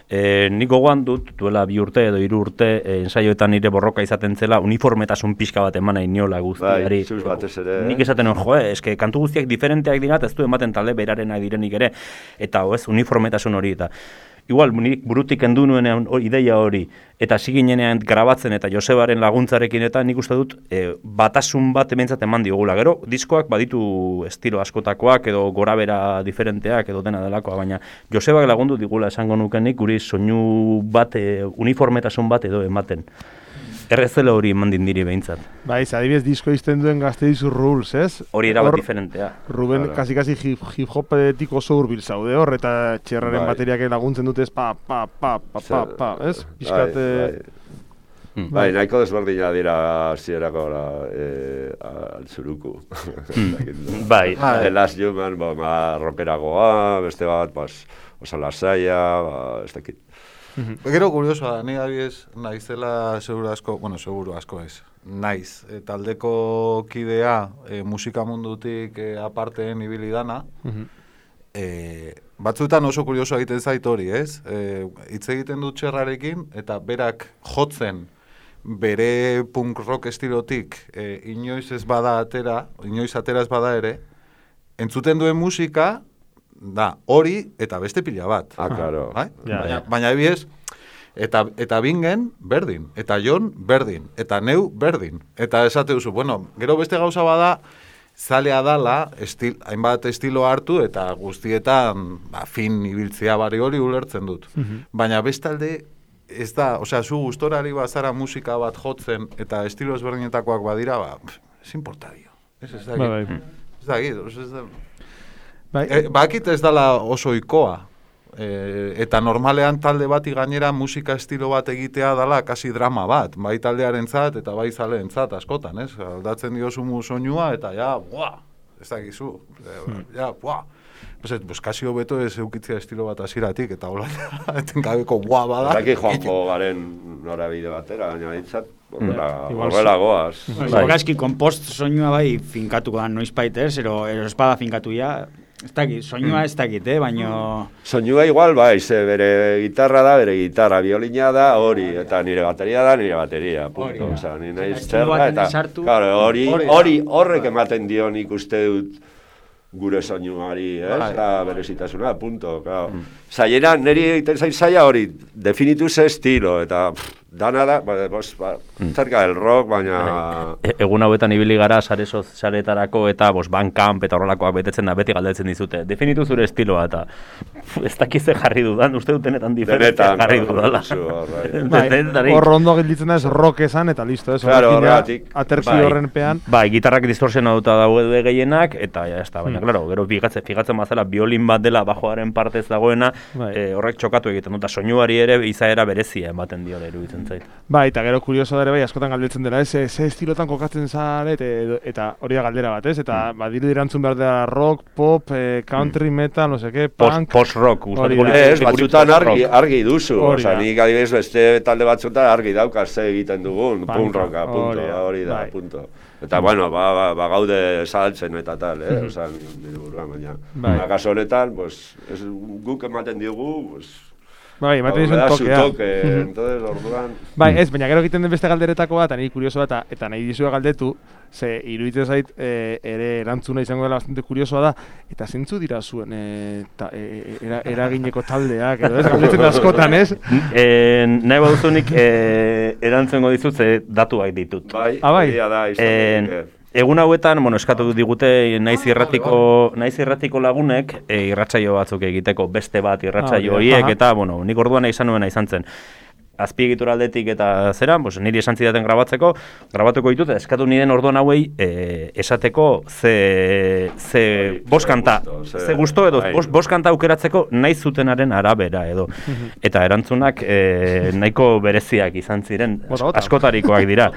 E, nik gogoan dut, duela bi urte edo hiru urte, e, ensaioetan nire borroka izaten zela, uniformetasun pixka bat eman nahi niola guztiari. Bai, zuz batez ere. Nik esaten hon, joe, eske kantu guztiak diferenteak dira, ez du ematen talde berarenak direnik ere, eta ez, uniformetasun hori eta. Igual, nik burutik kendu nuenean ideia hori, eta ziginenean grabatzen eta Josebaren laguntzarekin eta nik uste dut e, batasun bat ementzat eman diogula. Gero, diskoak baditu estilo askotakoak edo gorabera diferenteak edo dena delakoa, baina Josebak lagundu digula esango nukenik guri soinu bat, e, uniformetasun bat edo ematen. Errezela hori eman dindiri behintzat. Baiz, adibidez disko izten duen Gazteiz Rules, ez? Hori erabat diferentea. Ruben, claro. kasi-kasi hip-hopetik oso hurbil zaude hor, eta txerraren bai. Bateriak laguntzen dutez, pa, pa, pa, pa, pa, pa, ez? Piskat... Bai, bai. Hmm. Bai, nahiko desberdina dira zierako eh, altzuruku. Bai. The Last Human, ba, ma, rockeragoa, beste bat, bas, oso lasaia, ba, ez dakit. Gero kuriosoa, ni abiez naizela seguru asko, bueno, seguru asko ez, naiz, e, taldeko kidea e, musika mundutik e, aparteen ibili dana, e, batzuetan oso kuriosoa egiten zait hori, ez? E, hitz egiten dut txerrarekin, eta berak jotzen bere punk rock estilotik e, inoiz ez bada atera, inoiz atera ez bada ere, entzuten duen musika, da, hori eta beste pila bat. Ah, claro. Bai? Ja, baina, ja. baina ebiez, eta, eta bingen berdin, eta Jon berdin, eta neu berdin. Eta esate duzu, bueno, gero beste gauza bada, zalea dala, estil, hainbat estilo hartu, eta guztietan, ba, fin ibiltzea bari hori ulertzen dut. Uh-huh. Baina bestalde, ez da, osea, zu gustorari bazara musika bat jotzen, eta estilo ezberdinetakoak badira, ba, ez importa dio. Ez ez da, bai, bai. Ez da, ez da, bai. E, bakit ez dala oso ikoa, e, eta normalean talde bati gainera musika estilo bat egitea dala kasi drama bat, bai taldearen zat eta bai zaleen zat askotan, ez? Aldatzen diozu soinua eta ja, buah, ez dakizu, hmm. ja, buah. Pues, pues kasi hobeto ez eukitzea estilo bat hasieratik eta hola, etenkabeko buah bada. Zaki joango garen norabide batera, baina dintzat, horrela goaz. Gaski, kompost soinua bai finkatuko da noiz baita, ero espada finkatu ja, ez dakit, soinua ez dakit, eh, baino... Soinua igual, bai, ze bere gitarra da, bere gitarra, biolina da, hori, eta nire bateria da, nire bateria, punto. Osa, nire nahiz zerra, eta, claro, hori, hori, horrek ematen dio nik uste dut gure soinuari, ez, da, berezitasuna, punto, claro. Zaiera, niri egiten zain zaila hori, definitu ze estilo, eta... Pff, dana da, ba, bos, ba, zerka del rock, baina... E, egun hauetan ibili gara sare sozialetarako eta bos, Bandcamp eta horrelakoak betetzen da, beti galdetzen dizute. Definitu zure estiloa eta ez dakize jarri dudan, uste dutenetan diferentzia jarri dudala. Hor ondo gelditzen da ez rock esan eta listo, ez? Claro, horregatik. Aterzi horren pean. Bai, gitarrak distorsiona duta daude gehienak, eta ja, ez da, baina, klaro, gero figatzen, figatzen bazala, biolin bat dela bajoaren partez dagoena, e, horrek txokatu egiten dut, eta soinuari ere izaera berezia ematen dio iruditzen zait. Bai, eta gero kurioso da ere bai, askotan galdetzen dela, ez, ze estilotan kokatzen zaret, eta hori da galdera bat, ez, eta mm. badiru dirantzun behar dela rock, pop, eh, country, mm. metal, no seke, punk... Post-rock, gustatuko. Ez, batzutan argi, argi duzu, oza, nik adibidez beste talde batzutan argi daukaz ze egiten dugun, punk rocka, punto, hori da, punto. Eta, bueno, ba, ba, ba gaude saltzen eta tal, eh? Mm-hmm. Osa, nire buruan, baina. Bai. Kaso honetan, pues, es, guk ematen diogu, pues... Bai, ematen dizun tokea. Toke, entonces, orduan... Bai, ez, baina gero egiten den beste galderetako bat, eta niri kuriosoa eta, eta nahi dizua galdetu, ze iruditzen zait e, ere erantzuna izango dela bastante kuriosoa da, eta zentzu dira zuen e, ta, e, era, eragineko taldeak, edo ez, galdetzen askotan, ez? E, nahi baduzunik e, erantzungo dizut, ze datuak ditut. Bai, ah, bai. Da, izan e, Egun hauetan, bueno, eskatu digute naiz irratiko, naiz irratiko lagunek e, irratsaio batzuk egiteko, beste bat irratsaio horiek, eta, bueno, nik orduan izan nuena izan zen. Azpiegitura aldetik eta zera, pues, niri esan zidaten grabatzeko, grabatuko ditut, eskatu niden orduan hauei e, esateko ze, ze bost kanta, ze gusto edo bost, bost kanta aukeratzeko nahi zutenaren arabera edo. Eta erantzunak e, nahiko bereziak izan ziren, askotarikoak dira.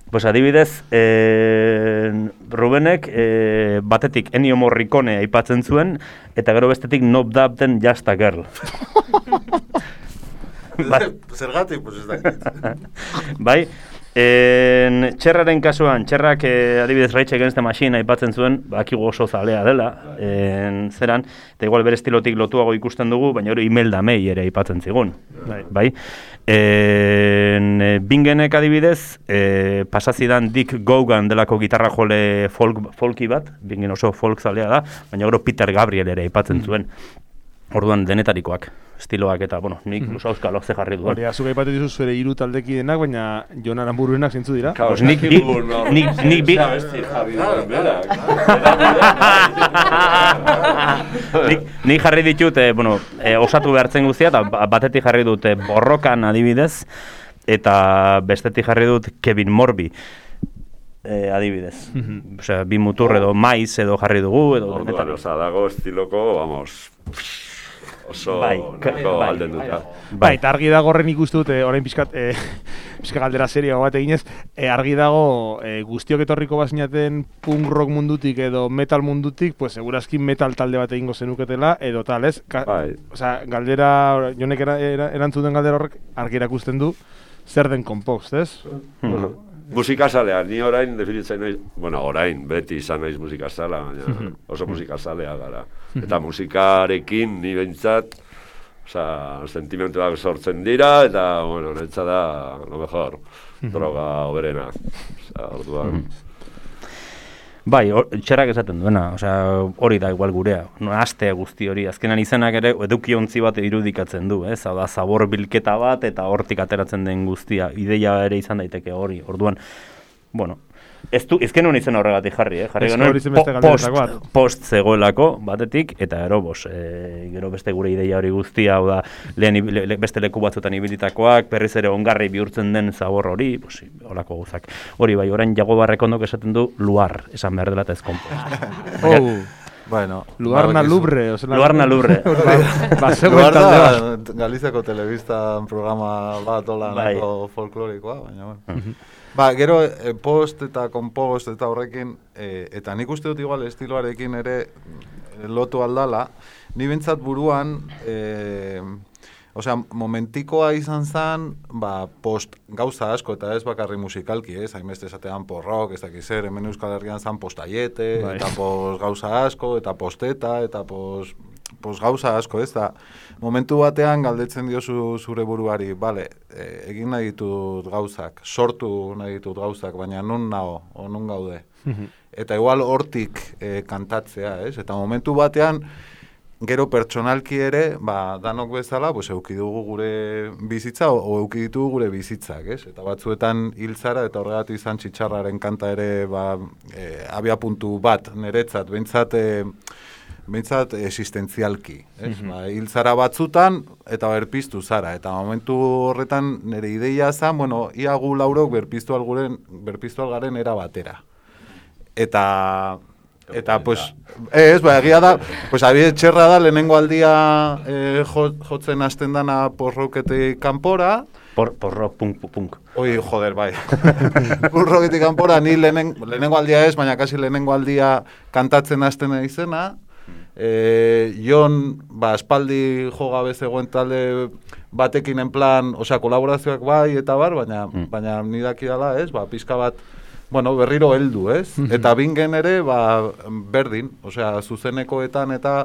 Pues adibidez, eh, Rubenek eh, batetik Ennio Morricone aipatzen zuen, eta gero bestetik Knob Dab den Just a Girl. Zergatik, pues ez da. Bai, en, Txerraren kasuan, Txerrak eh, adibidez Rage Against the Machine aipatzen zuen, bakigu oso zalea dela, en, zeran, eta igual bere estilotik lotuago ikusten dugu, baina hori Imelda May ere aipatzen zigun. Bai. Bai? En, Bingenek adibidez, e, pasazidan Dick Gogan delako gitarra jole folk, folki bat, Bingen oso folk zalea da, baina gero Peter Gabriel ere aipatzen zuen. Orduan denetarikoak, estiloak eta, bueno, nik mm. auskalo ze jarri duen. Hori, azuk aipatzen dizu zure hiru taldeki denak, baina Jon Aranburuenak zintzu dira? Pues nik, nik, nik, nik, bi... Nik jarri ditut, eh, bueno, eh, osatu behartzen guztia, eta batetik jarri dut eh, Borrokan adibidez, eta bestetik jarri dut Kevin Morby. Eh, adibidez. Mm-hmm. Osea, bi mutur edo maiz edo jarri dugu, edo... Orduan, oza, dago estiloko, vamos... Oso bai, nahiko bai, alden dut. Bai, bai, eta argi dago horren ikustu dute, orain pixkat, e, pixka galdera seria bat eginez, e, argi dago e, guztiok etorriko bazinaten punk rock mundutik edo metal mundutik, pues segurazki metal talde bat egingo zenuketela, edo tal, ez? Ka, bai. Osea, galdera, jonek era, era, erantzun den galdera horrek, argi erakusten du, zer den Compost, ez? Bueno, musikazalea, ni orain definitzen naiz, bueno, orain, beti izan naiz musikazala, baina oso musikazalea gara. Eta musikarekin ni behintzat, osea, sentimentuak sortzen dira, eta, bueno, netza da, lo mejor, droga oberena. Osea, orduan... Bai, or, Txerrak esaten duena, osea, hori da igual gurea, no, aste guzti hori, azkenan izenak ere edukiontzi bat irudikatzen du, ez, hau da, zabor bilketa bat eta hortik ateratzen den guztia, ideia ere izan daiteke hori, orduan, bueno, ez du, ezken honi izan horregatik jarri, eh, jarri genuen po, post, post zegoelako batetik, eta gero, bos, e, gero beste gure ideia hori guztia, hau da, lehen le, le, beste leku batzutan ibilitakoak, berriz ere ongarri bihurtzen den zabor hori, bos, holako guzak. Hori bai, orain Jago Barrekondok esaten du luar, esan behar dela eta ez Compost. Oh. Bueno, Luarna Lubre, o sea, Luarna Lubre. Ba, Luar da Galiziako telebistan programa bat hola nahiko folklorikoa, baina bueno. Uh-huh. Ba, gero e, post eta compost eta horrekin, e, eta nik uste dut igual estiloarekin ere e, lotu aldala, ni bentsat buruan, e, osea, momentikoa izan zen, ba, post gauza asko, eta ez bakarri musikalki, ez, hainbeste esatean porrok, ez dakiz zer, hemen Euskal Herrian zen postaiete, bai. Eta post gauza asko, eta posteta, eta post, post gauza asko, ez da, momentu batean galdetzen diozu zure buruari, bale, e, egin nahi ditut gauzak, sortu nahi ditut gauzak, baina nun nago, o nun gaude. Eta igual hortik e, kantatzea, ez, eta momentu batean, gero pertsonalki ere, ba, danok bezala, pues, euki dugu gure bizitza, o, o euki ditugu gure bizitzak, ez? Eta batzuetan hiltzara, eta horregatik izan Txitxarraren kanta ere, ba, e, abia puntu bat, niretzat, behintzat, e, behintzat existentzialki, ez? Mm-hmm. Ba, hiltzara batzutan, eta berpiztu zara, eta momentu horretan nire ideia zen, bueno, ia gu laurok berpiztu algaren, berpiztu algaren era batera. Eta... Eta, pues, ez, ba, egia da, pues, abide txerra da, lehenengo aldia eh, jotzen hasten dana porroketik kanpora. Por, porro, punk, punk. Oi, joder, bai. Porroketik kanpora, ni lehenen, lehenengo aldia ez, baina kasi lehenengo aldia kantatzen hasten izena. Eh, Jon, ba, espaldi jogabe zegoen talde batekin en plan, osea, kolaborazioak bai eta bar, baina, mm. baina nidaki dala, ez, ba, pizka bat, bueno, berriro heldu, ez? Eta bingen ere, ba, berdin, osea, zuzenekoetan eta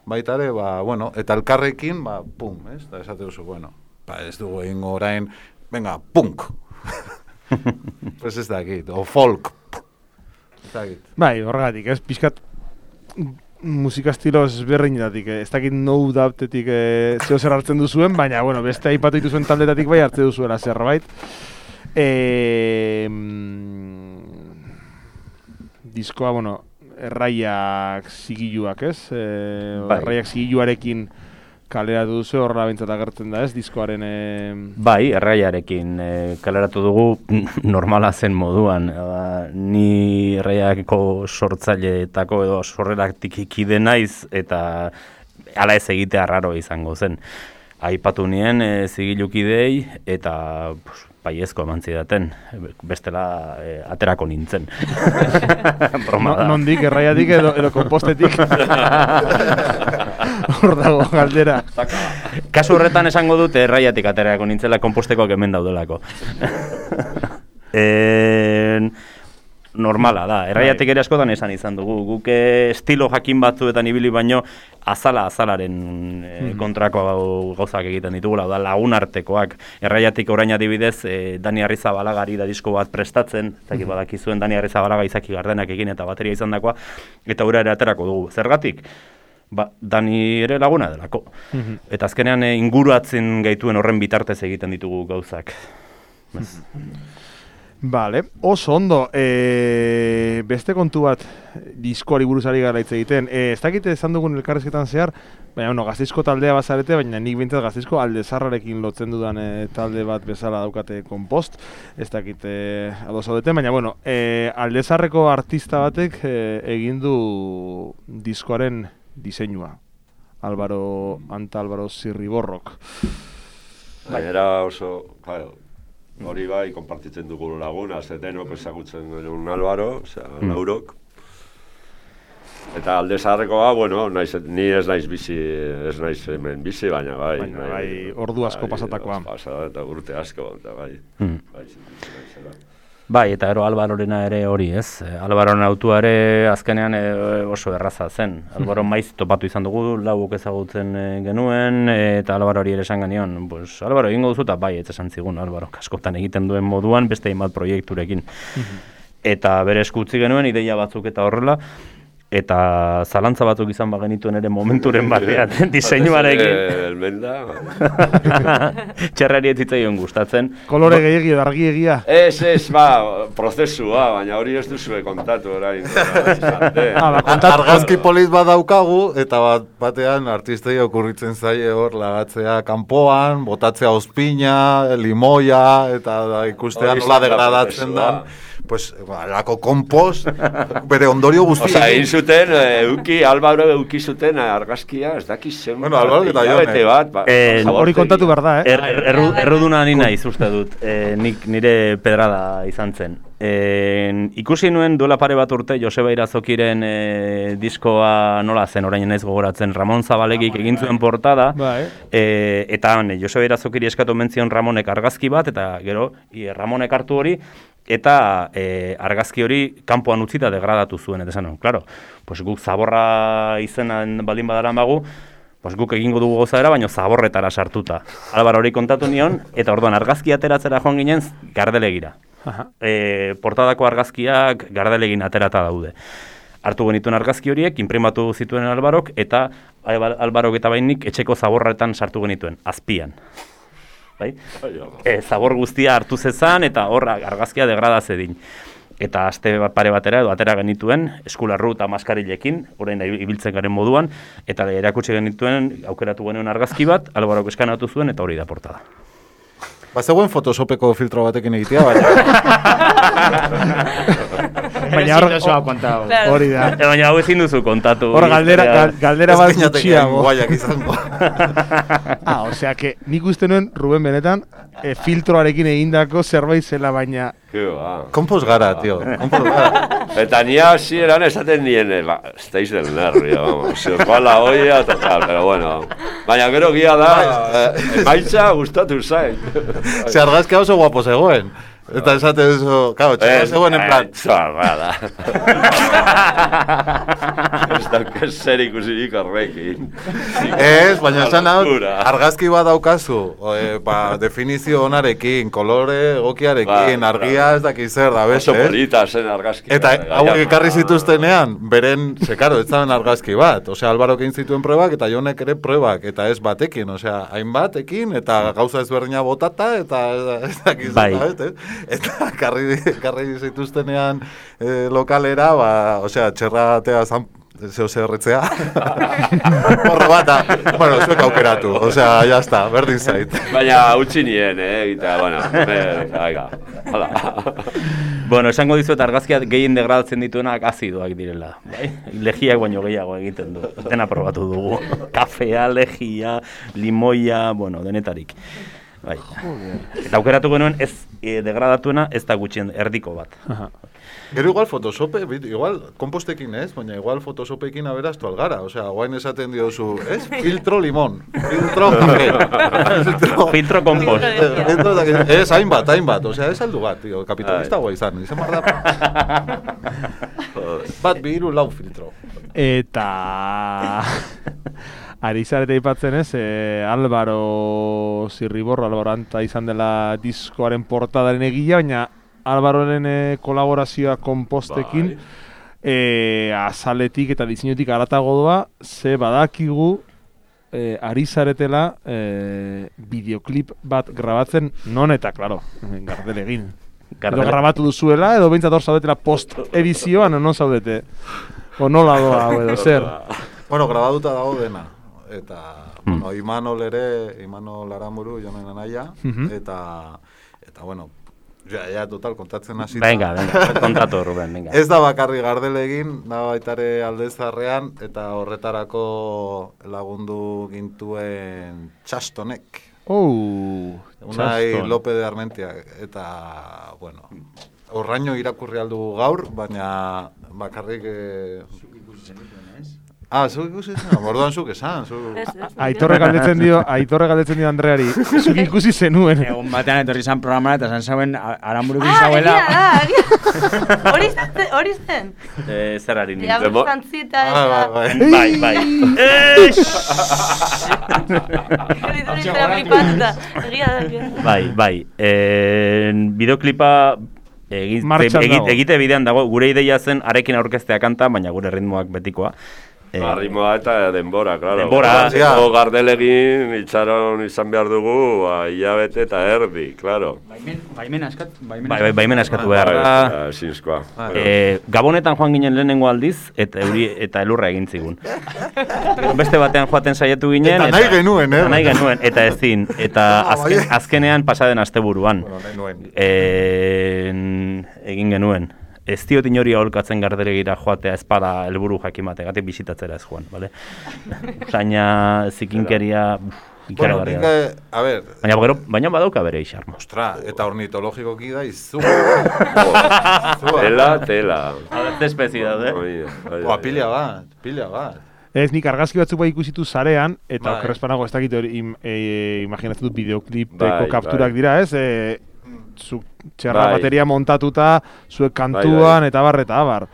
baita ere, ba, bueno, eta elkarrekin, ba, pum, ez? Da esate duzu, bueno, ba, ez dugu egin orain, venga, punk! Pues ez dakit, o folk! Ez dakit. Bai, horregatik, ez, pizkat musika estilo ezberdinetatik, ez dakit no doubtetik eh, zeo zer hartzen duzuen, baina, bueno, beste aipatu dituzuen taldetatik bai hartze duzuela zerbait. Eh, diskoa, bueno, erraiak zigiluak, ez? Eh, bai. Erraiak zigiluarekin kaleratu duzu, horrela bintzat agertzen da, ez? Diskoaren... Eh... Bai, erraiarekin e, kaleratu dugu normala zen moduan. Ba, ni erraiako sortzaileetako edo sorreratik ikide naiz eta hala ez egitea raro izango zen. Aipatu nien e, zigilukidei eta pues, baiezko eman zidaten, bestela e, aterako nintzen. Broma da. Nondik, erraiatik edo, edo kompostetik. Hor dago galdera. Kasu horretan esango dute erraiatik aterako nintzela, konpostekoak hemen daudelako. en... Normala da, erraiatik ere askotan esan izan dugu. Guk estilo jakin batzuetan ibili baino azala azalaren e, kontrako gauzak egiten ditugula, da lagun artekoak. Erraiatik orain adibidez, e, Dani Arrizabalagari da disko bat prestatzen, zaki badakizuen Dani Arrizabalaga Izaki Gardenak egin eta bateria izan dakoa, eta ura ere aterako dugu. Zergatik? Ba, Dani ere laguna delako. Eta azkenean e, inguratzen gaituen horren bitartez egiten ditugu gauzak. Vale, oso ondo, e, beste kontu bat diskoari buruzari gara hitz egiten. E, ez dakite esan dugun elkarrezketan zehar, baina bueno, Gasteizko taldea bazarete, baina nik bintzat Gasteizko Aldezarrarekin lotzen dudan e, talde bat bezala daukate Kompost. Ez dakite ados zaudeten, baina bueno, e, Aldezarreko artista batek e, egin du diskoaren diseinua. Álvaro, Anta Álvaro Zirriborrok. Gainera oso, claro, hori bai, konpartitzen dugu laguna, ze denok ezagutzen duen Álvaro, osea, mm. Laurok. Eta Aldezarrekoa, bueno, naiz, ni ez naiz bizi, ez naiz hemen bizi, baina bai. Baina bai, ordu asko bai, pasatakoa. Pasata eta urte asko, eta bai. Mm. Bai, bai, eta ero Alvarorena ere hori, ez? Alvaroren autua ere azkenean e, oso erraza zen. Alvaro maiz topatu izan dugu, lauk ezagutzen e, genuen, e, eta Alvaro hori ere esan genion. Pues, Alvaro egingo duzu eta bai, ez esan zigun, Alvaro kaskotan egiten duen moduan, beste hainbat proiekturekin. Eta bere eskutzi genuen, ideia batzuk eta horrela, eta zalantza batzuk izan bagenituen ere momenturen batean, diseinuarekin. Elmenda. Txerrari ez zitzaion gustatzen. Kolore gehiagi edo argi egia. Ez, ez, ba, prozesua, baina hori ez duzue kontatu orain. Ah, ba, argazki polit bat daukagu, eta bat, batean artistei okurritzen zaie hor lagatzea kanpoan, botatzea ospina, limoia, eta da, ikustean nola degradatzen da. Pues, ba, lako kompost, bere ondorio guztia. Osa, egin zuten, euki, Álvaro euki zuten argazkia, ez dakiz zen. Bueno, Álvaro eta Jone. Bat, eh, hori kontatu behar da, eh? Er, er, erru, erruduna nina izuzte dut, eh, nik nire pedrada izan zen. Eh, ikusi nuen duela pare bat urte Joseba Irazokiren eh, diskoa nola zen, orain naiz gogoratzen, Ramon Zabalegik egin zuen portada, eh, eta eh, Joseba Irazokiri eskatu mentzion Ramonek argazki bat, eta gero i, Ramonek hartu hori, eta e, argazki hori kanpoan utzita degradatu zuen, eta esan, claro, pues guk zaborra izenan baldin badaran bagu, pues guk egingo dugu gozadera, baina zaborretara sartuta. Álvaro hori kontatu nion, eta orduan argazki ateratzera joan ginen Gardelegira. E, portadako argazkiak Gardelegin aterata daude. Hartu genituen argazki horiek, inprimatu zituen Álvarok, eta Álvarok eta bainik etxeko zaborretan sartu genituen, azpian. Bai? E, zabor guztia hartu zezan eta hor argazkia degrada zedin. Eta aste pare batera edo atera genituen eskularru eta maskarilekin, orain da ibiltzen garen moduan, eta erakutsi genituen aukeratu genuen argazki bat, Alvarok eskanatu zuen eta hori da portada. Ba, zegoen Photoshopeko filtro batekin egitea, baina. baina hor Claro. hori da. E, baina hau ezin duzu kontatu. Hor galdera, gal, galdera bat gutxiago. Guaiak izango. Ah, osea, que nik uste nuen, Ruben, benetan, e, filtroarekin egindako zerbait zela, baina... Kompos gara, tio. Kompos gara. Eta ni hasieran esaten niene, ba, estáis del nervio, vamos, se os va la olla, total, pero bueno. Baina gero gia da, emaitza gustatu zait. Se argazkia oso guapo zegoen. Eta esate duzu, claro, txarra zegoen en plan... Txarra da. Ez dauk zer ikusirik horrekin. Ez, baina esan hau, argazki bat daukazu, e, ba, definizio onarekin, kolore egokiarekin, argia ez dakiz zer da, beste. Oso polita zen argazki. Eta hauek ekarri zituztenean, beren, ze karo, ez zaben argazki bat. Osea, Alvarok egin zituen probak, eta Jonek ere probak, eta ez batekin, osea, hainbatekin, eta gauza ezberdina botata, eta ez dakiz zer da, beste. Eta karri, karri zituztenean eh, lokalera, ba, osea, txerratea zan, zeo zerretzea. Horro bata, bueno, zuek aukeratu, osea, jazta, berdin zait. Baina utzi nien, eh, eta, bueno, aiga, hala. Bueno, esango dizuet argazkiak gehien degradatzen dituenak azidoak direla. Bai? Legiak baino gehiago egiten du. Dena probatu dugu. Kafea, legia, limoia, bueno, denetarik. Bai. Eta aukeratu genuen ez e, degradatuena ez da gutxien erdiko bat. Gero igual Photoshope, igual kompostekin ez, baina igual Photoshopekin aberaztu algara. Osea, guain esaten diozu, ez? Filtro limon, filtro kafe, filtro... filtro kompost. Ez, hainbat, hainbat, osea, ez aldu bat, tío, kapitalista guai izan, izan bar da... Bat bihiru lau filtro. Eta... Ari zarete ipatzen ez, eh, Álvaro Zirriborro, Álvaro Anta izan dela diskoaren portadaren egila, baina Álvaroren eh, kolaborazioa kompostekin eh, azaletik eta dizinutik aratago doa, ze badakigu eh, ari zaretela eh, bideoklip bat grabatzen, non eta, klaro, gardel egin. Edo grabatu duzuela, edo behintzat hor zaudetela post-edizioan, non zaudete? O nola doa, edo zer? Bueno, grabatuta dago dena. Eta, mm. bueno, Imanol ere, Imanol Aramuru, jonen anaia, mm-hmm. eta, eta, bueno, ja, ja, total, kontatzen hasi. Venga, venga, kontatu, Ruben, venga. Ez da bakarri gardel egin, da baitare aldezarrean, eta horretarako lagundu gintuen Txastonek. Oh, Unai Lope de Armentia, eta, bueno, horraino irakurri aldu gaur, baina bakarrik... Eh, Ah, zuk ikusi zen, bordoan zuk esan. Aitorre galdetzen dio, Aitorre galdetzen dio Andreari, zuk ikusi zenuen. Egun batean etorri zan programara eta zan zauen Aramburukin zauela. Ah, egia da, hori zen. Zer ari nintzen. Diablo zantzita eta... Bai, bai. Bai, bai. Bideoklipa... Egite bidean dago, gure ideia zen arekin aurkeztea kanta, baina gure ritmoak betikoa. Eh, Arritmoa eta denbora, claro. Denbora, ja. Gardelegin itxaron izan behar dugu, ba, hilabete eta erdi, claro. Baimen askat, bai, bai, baimen askatu behar. Ah, zinezkoa. Eh, Gabonetan joan ginen lehenengo aldiz, eta euri eta elurra egin zigun. Beste batean joaten saiatu ginen. Eta nahi genuen, eh? Nahi genuen, eta ezin. Eta azken, azkenean pasaden asteburuan. Bueno, nahi nuen. Eh, egin genuen. Ez diot inori aholkatzen gardelegira joatea espada helburu jakimate, gatik bisitatzera ez joan, bale? Baina zikinkeria... Bueno, nik, a ver... Baina, gero, baina badauka bere isarmo. Ostra, eta ornitologikoki da izu. Tela, tela. Alerte espezie daude. Oa, pila bat, pila bat. Ez, nik argazki batzuk bai ikusitu zarean, eta okerrezpanago ez dakit hori im, e, imaginatzen dut bideoklipeko kapturak dira, ez? E, zu txerra bai. Bateria montatuta, zuek kantuan, bai, bai. Eta bar, eta abar.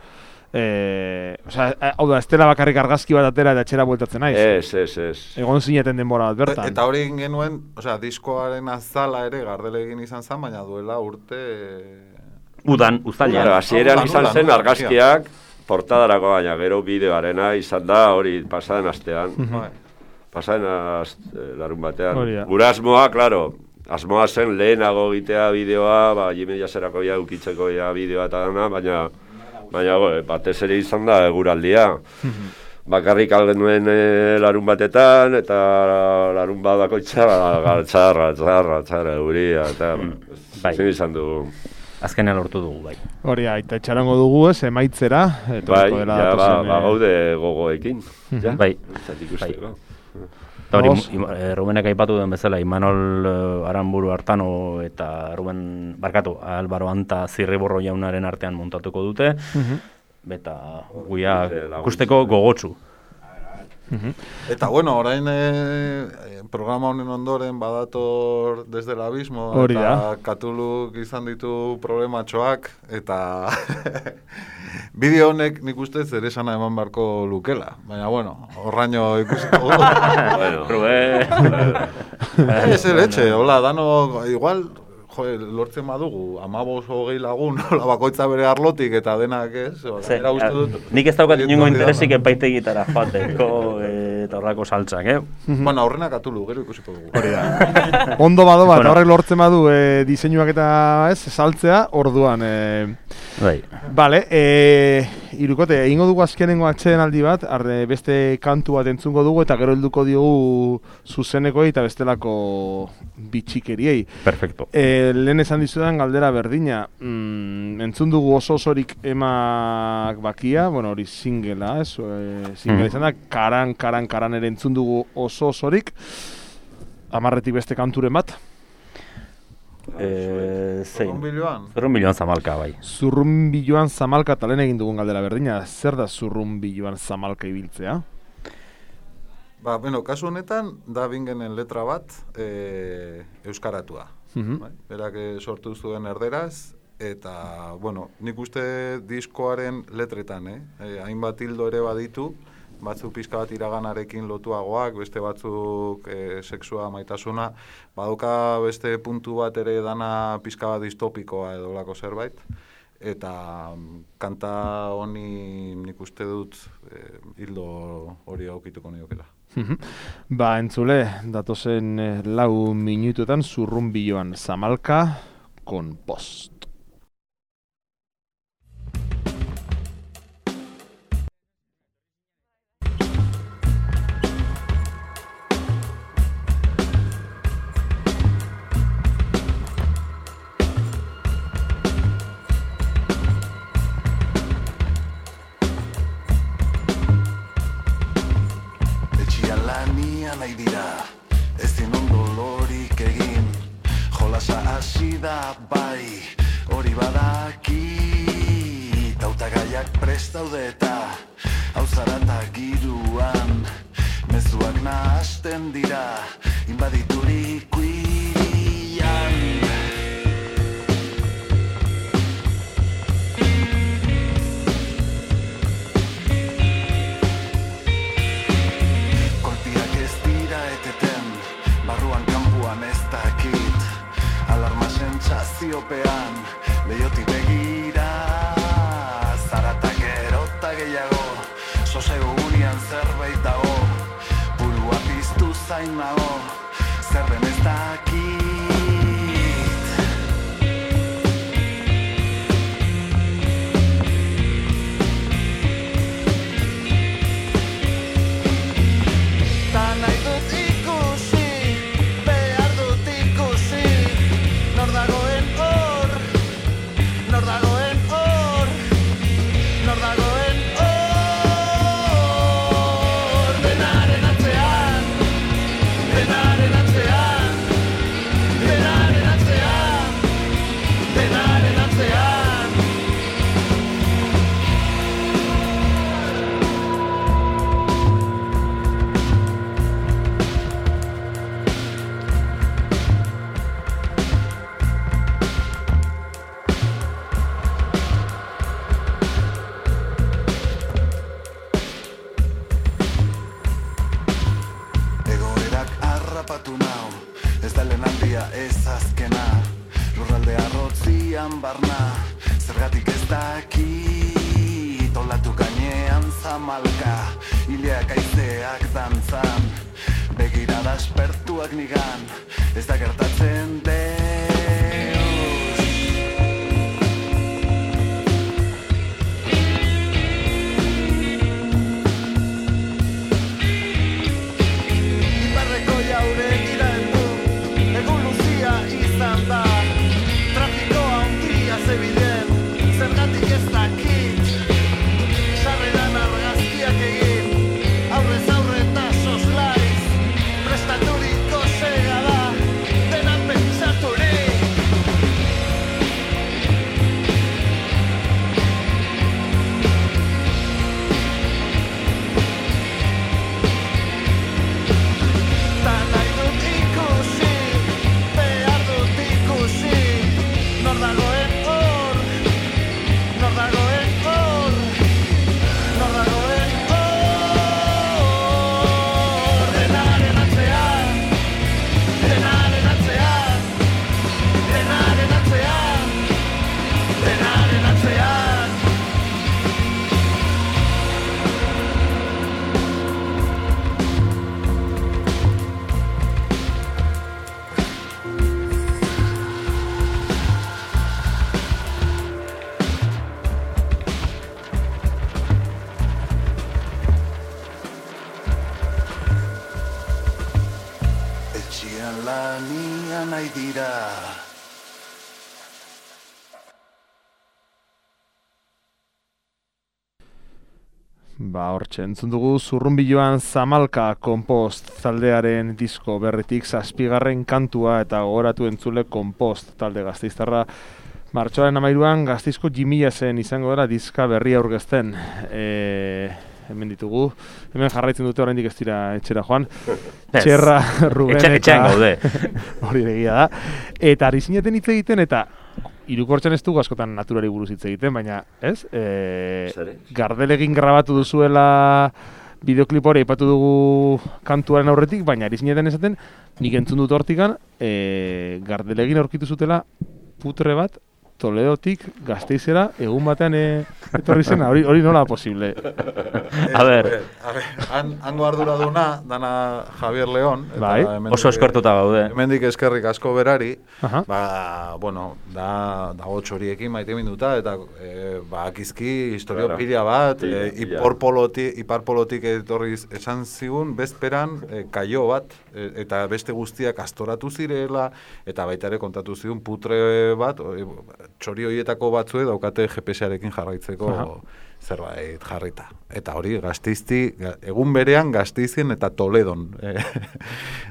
E, Osa, hau da, ez dela bakarrik argazki bat atera eta etxera bueltatzen naiz. Ez, ez, ez. Egon zineten denbora bat bertan. Eta hori egin genuen, osea, diskoaren azala ere gardele egin izan zen, baina duela urte... Udan, uztailean. Hasieran izan zen argazkiak portadarako, baina gero bideoarena izan da hori pasaden astean. Pasaden larun batean. Gura asmoa, klaro, asmoa zen lehenago egitea bideoa, ba, jime jaserako ja ukitzeko ja bideoa eta dana, baina, baina go, batez ere izan da eguraldia. Bakarrik algenuen e, larun batetan, eta larun bat bakoitza, ba, txarra, txarra, txarra, euria, eta bai. Zin izan dugu. azkenean lortu dugu, bai. Hori, aita etxarango dugu ez, emaitzera. Bai, ja, ba, ba gaude gogoekin. Ja, bai. Bai. Eta hori, e, Rubenek aipatu den bezala, Imanol uh, Aranburu Artano eta Ruben, barkatu, Albaro Anta Zirriborro jaunaren artean montatuko dute, uh-huh. eta guia ikusteko gogotsu. Uh-huh. Eta bueno, orain e, programa honen ondoren badator Desde el Abismo, Hori eta da. Katuluk izan ditu problematxoak, eta bideo honek nik uste zer esana eman barko lukela, baina bueno, horraino ikusiko. Bueno, Ruben. Ez el etxe, hola, dano, igual, jo, lortzen badugu, amabos hogei lagun, hola, bakoitza bere arlotik, eta denak ez, era uste dut. Nik ez daukat inongo interesik epaitegitara joateko eta horrako saltzak, eh? Bueno, aurrena Katulu, gero ikusiko dugu. Hori da. Ondo bado bat, horrek lortzen badu e, diseinuak eta ez, saltzea, orduan. E, bai. Vale, e, irukote, egingo dugu azkenengo atxeden aldi bat, arde beste kantu bat entzungo dugu, eta gero helduko diogu zuzenekoi eta bestelako bitxikeriei. Perfecto. E, lehen esan dizudan galdera berdina, mm, entzun dugu oso osorik emak bakia, bueno, hori singela, ez, e, singela mm. izan da, karan, karan, karan ere entzun dugu oso osorik, amarretik beste kanturen bat. Eh, zein? Zurrunbiloan? Zurrunbiloan zamalka, bai. Zurrunbiloan zamalka, eta lehen egin dugun galdera berdina, zer da zurrunbiloan zamalka ibiltzea? Ba, bueno, kasu honetan, da bingenen letra bat e, euskaratua. Uh-huh. Bai? Berak sortu zuen erderaz, eta, bueno, nik uste diskoaren letretan, eh? E, hainbat hildo ere baditu, batzuk pizka bat iraganarekin lotuagoak, beste batzuk e, sexua, maitasuna, baduka beste puntu bat ere dana pizka bat distopikoa edo lako zerbait, eta kanta honi nik uste dut e, hildo hori aukituko niokela. Ba, entzule, datozen eh, lau minutuetan zurrunbiloan zamalka con post. Nahi dira, ez dinon dolorik egin, jolasa hasi da bai, hori badaki, tautagaiak prest daude eta hau zarata giruan, mezuak nahasten dira, inbaditurik irian. Sentsaziopean, lehioti begira, zarata gero eta gehiago, sosego unian zerbait dago, burua piztu zain nago, zer den ez dakit. Ta nahi dut ikusi, behar dut ikusi, nor dagoen hor, nor dagoen hor, nor dagoen hor. Denaren atzean, denaren atzean, denaren atzean, denaren atzean. Egoerak harrapatu nau, ez da lehenaldia ez azkena, lurralde arrotzian barna, zergatik ez dakit, olatu gainean zamalka, hileak aizeak dantzan, begirada aspertuak nigan, ez da gertatzen deus. Iparreko jaure gira heldu, egun luzia izan da, trafikoa handia zegoen. dira. Ba, hortxe, entzun dugu Zurrunbiloan Zamalka Kompost taldearen disko berritik zazpigarren kantua eta gogoratu entzule Kompost talde gasteiztarra martxoaren hamairuan Gasteizko Jimila zen izango dela diska berria aurkezten. E, hemen ditugu, hemen jarraitzen dute oraindik ez dira etxera joan. Txerra, Ruben Etxe, eta... gaude. Hori egia da. Eta ari zineten hitz egiten eta Hirukortxan ez dugu askotan naturari buruz hitz egiten, baina, ez? E, Gardelegin grabatu duzuela bideoklip hori aipatu dugu kantuaren aurretik, baina ari zineten esaten, nik entzun dut hortikan, e, Gardelegin aurkitu zutela putre bat, Toledotik Gasteizera egun batean e, etorri zena, hori, hori nola posible? A ber, A ber, han, hango arduraduna, dana Javier León. Eta bai. hemendik- oso eskertuta gaude. Hemendik eskerrik asko berari, Aha. ba, bueno, da, dago txoriekin maite minduta, eta e, ba, akizki historio Claro. pila bat, Pila, e, pila. iporpolotik, iparpolotik etorri esan zigun, bezperan e, kaio bat, e, eta beste guztiak astoratu zirela, eta baita ere kontatu zigun putre bat, e, txori horietako batzue daukate G P S-arekin jarraitzeko Aha. zerbait jarrita. Eta hori, Gasteizti, ga- egun berean Gasteizien eta Toledon. E,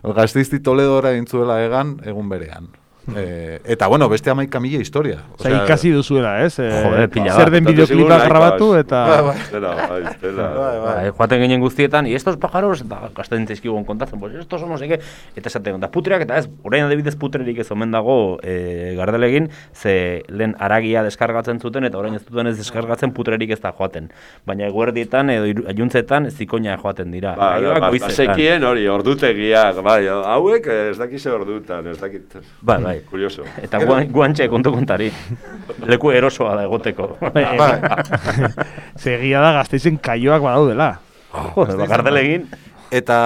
Gasteizti Toledora intzuela egan, egun berean. E, eta bueno, beste hamaika mila historia. Osea, ikasi duzuela, ez? E, Joder, pila zer bat. den Kontatu bideoklipa zigun nahikoa, grabatu ez? eta... Bai, bai. Zela, bai, zela. Bai, bai. Ba, joaten ginen guztietan, y estos pájaros, eta gazten zaizkigun kontatzen, pues estos somos eke, eta esaten, eta putreak, eta ez, orain adibidez putrerik ez omen dago e, Gardelegin, ze lehen aragia deskargatzen zuten, eta orain ez duten ez deskargatzen putrerik ez da joaten. Baina eguerdietan edo hiru- iluntzetan zikoina joaten dira. Ba, Gaioak ba, goizetan. bazekien hori, ordutegiak, bai, hauek ez dakize ordutan, ez dakit. Bai, bai. Kurioso. Eta guan, guantxe kontu kontari. Leku erosoa da egoteko. Bai. Segia da Gasteizen kaioak badaudela. Joder, ba, Gardelegin. Eta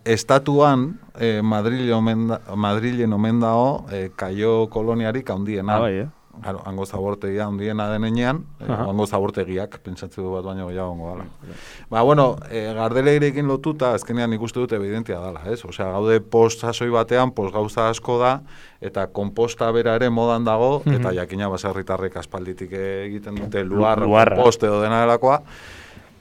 estatuan, eh, Madrilen omen da- Madrilen omen dago eh, kaio koloniarik handiena. Ah, bai, eh? Claro, hango zabortegia handiena denean, eh, Aha. hango zabortegiak, pentsatze du bat baino gehiago hongo dala. Ba, bueno, eh, Gardelegirekin lotuta, azkenean ikuste dut evidentia dela, ez? Osea, gaude post sasoi batean, post gauza asko da, eta komposta bera ere modan dago, eta jakina baserritarrek aspalditik egiten dute luar, Luarra. kompost edo dena delakoa,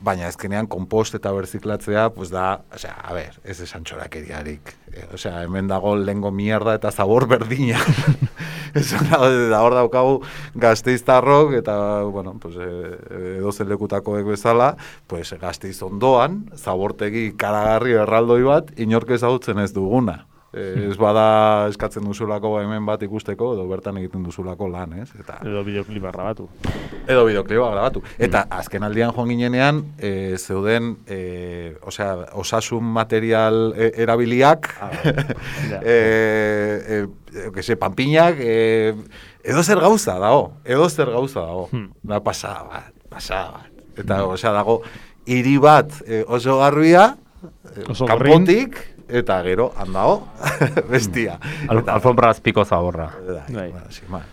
baina ezkenean kompost eta berziklatzea, pues da, osea, a ber, ez esan txorakeriarik. E, osea, hemen dago lengo mierda eta zabor berdina. Esan da, da hor daukagu Gasteiztarrok eta, bueno, pues, e, edozen lekutakoek bezala, pues Gasteiz ondoan, zabortegi karagarri erraldoi bat, inork ezagutzen ez duguna. E, ez bada eskatzen duzulako hemen bat ikusteko, edo bertan egiten duzulako lan, ez? Eta, Edo bideoklipa grabatu. edo bideoklipa grabatu. Eta azken aldian joan ginenean, e, zeuden, e, osea, osasun material e, erabiliak, e, e, e, que se, panpinak, e, edo zer gauza dago, edo zer gauza dago. Hmm. Da pasada bat, pasada bat. Eta, osea, dago, hiri bat e, oso garbia, e, Oso kanpotik, eta gero, handao, bestia. Al, Eta- alfombra azpiko zaborra. Bai, Bai. bueno, sin más.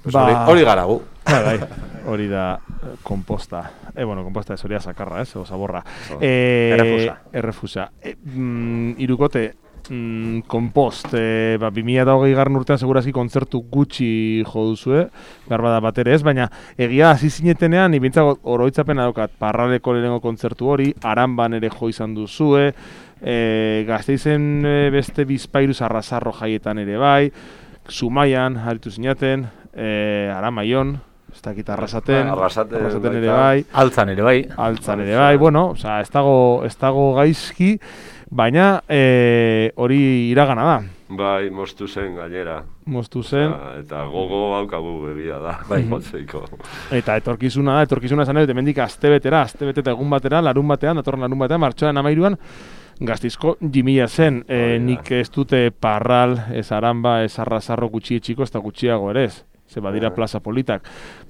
Pues Ba- hori, hori gara gu. Bai, bai. Hori da eh, komposta. E, bueno, komposta ez hori da sakarra, ez? O zaborra. Oh. E, Errefusa. Errefusa. E, mm, irukote, mm, kompost, e, ba, bi mila hogei garren urtean segurazki kontzertu gutxi jo duzue, behar bada bat ere ez, baina egia hasi zinetenean, ibintzago oroitzapena daukat, Parraleko lehenengo kontzertu hori, Aranban ere jo izan duzue, e, Gasteizen e, beste bizpairu arrasarro jaietan ere bai, Zumaian, aritu zinaten, e, Aramaion, ez dakit arrasaten, Arrasaten ere baita. bai, Altzan ere bai. altzan ere bai, bueno, osea, ez dago, ez dago gaizki, baina e, hori iragana da, Bai, moztu zen gainera. moztu zen, Eta, eta gogo haukagu egia da, Bai. motzeiko. eta etorkizuna da, etorkizuna esan dut, hemendik astebetera, astebete eta egun batera, larun batean, datorren larun batean, martxoaren hamairuan, Gasteizko Jimila zen, e, Hori da. nik ez dute Parral, ez Aramba, ez Arrasarro gutxietxiko, ez da gutxiago ere ez. Ze badira Bai. plaza politak.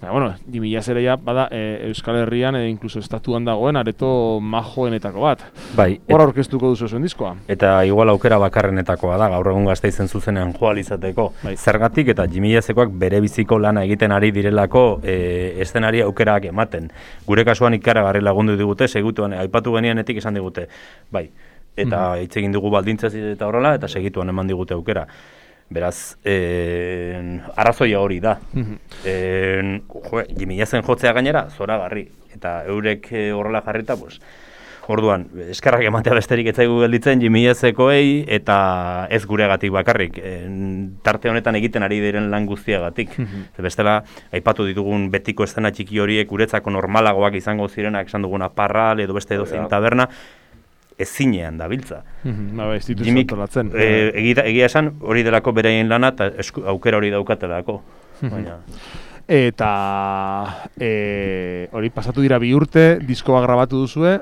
Baina, bueno, Jimila zere ja, bada, e, Euskal Herrian, e, inkluso estatuan dagoen, areto majoenetako bat. Bai. Hor aurkeztuko duzu zuen diskoa. Eta igual aukera bakarrenetakoa da, gaur egun Gasteizen zuzenean joal izateko. Bai. Zergatik eta Jimilazekoak bere biziko lana egiten ari direlako e, eszenari aukerak ematen. Gure kasuan ikaragarri lagundu digute, segituan, aipatu genianetik esan digute, bai. Eta hitz egin dugu baldintzaz eta horrela, eta segituan eman digute aukera. Beraz, eh, arrazoia hori da. eh, jo, Jimiazen jotzea gainera, zoragarri. Eta eurek eh, horrela jarrita, pues, orduan, eskerrak ematea besterik ez zaigu gelditzen Jimiezekoei eta ez gureagatik bakarrik. En, tarte honetan egiten ari diren lan guztiagatik. Ze bestela, aipatu ditugun betiko eszena txiki horiek guretzako normalagoak izango zirenak, esan duguna Parral edo beste edozein taberna, ez zinean dabiltza. Ba, ez dituz Jimik, antolatzen. eh, egia, egia esan, hori delako beraien lana eta esku, aukera hori daukatelako. Baina... Eta e, hori pasatu dira bi urte, diskoa grabatu duzue,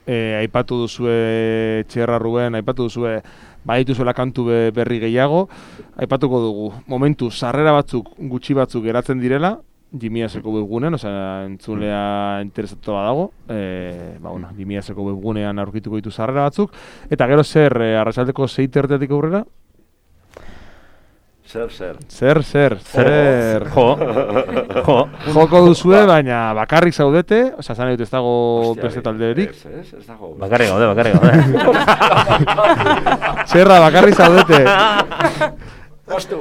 e, aipatu duzue Txerra Ruben, aipatu duzue badituzuela kantu be, berri gehiago, aipatuko dugu. Momentu, sarrera batzuk, gutxi batzuk geratzen direla, Jimiaseko webgunean, osea, entzulea interesatu badago, e, ba, bueno, Jimiaseko webgunean aurkituko ditu sarrera batzuk, eta gero zer, e, arratsaldeko sei terdiatik aurrera? Zer, zer. Zer, zer, zer. Jo, jo. Joko duzue, baina bakarrik zaudete, osea, zan ez dago beste talderik. Ez, ez, ez dago. Bakarrik gaude, bakarrik gaude. Txerra, bakarrik zaudete. Bastu,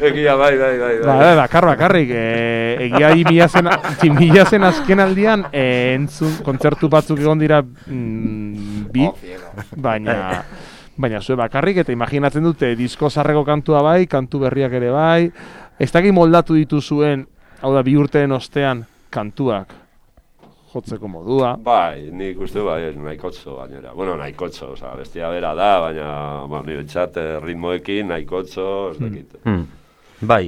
egia, bai, bai, bai. Ba, bai, bakar, bakarrik. E, egia Jimiazen, Jimiazen azken aldian, e, entzun, kontzertu batzuk egon dira mm, bi, baina... Baina zue bakarrik, eta imaginatzen dute disko zarreko kantua bai, kantu berriak ere bai. Ez dakit moldatu dituzuen, hau da, bi urteen ostean, kantuak jotzeko modua. Bai, nik uste bai, nahikotxo gainera. Bueno, nahikotxo, oza, bestia bera da, baina bueno, nire txat ritmoekin nahikotxo, ez dakit. Hmm. Bai.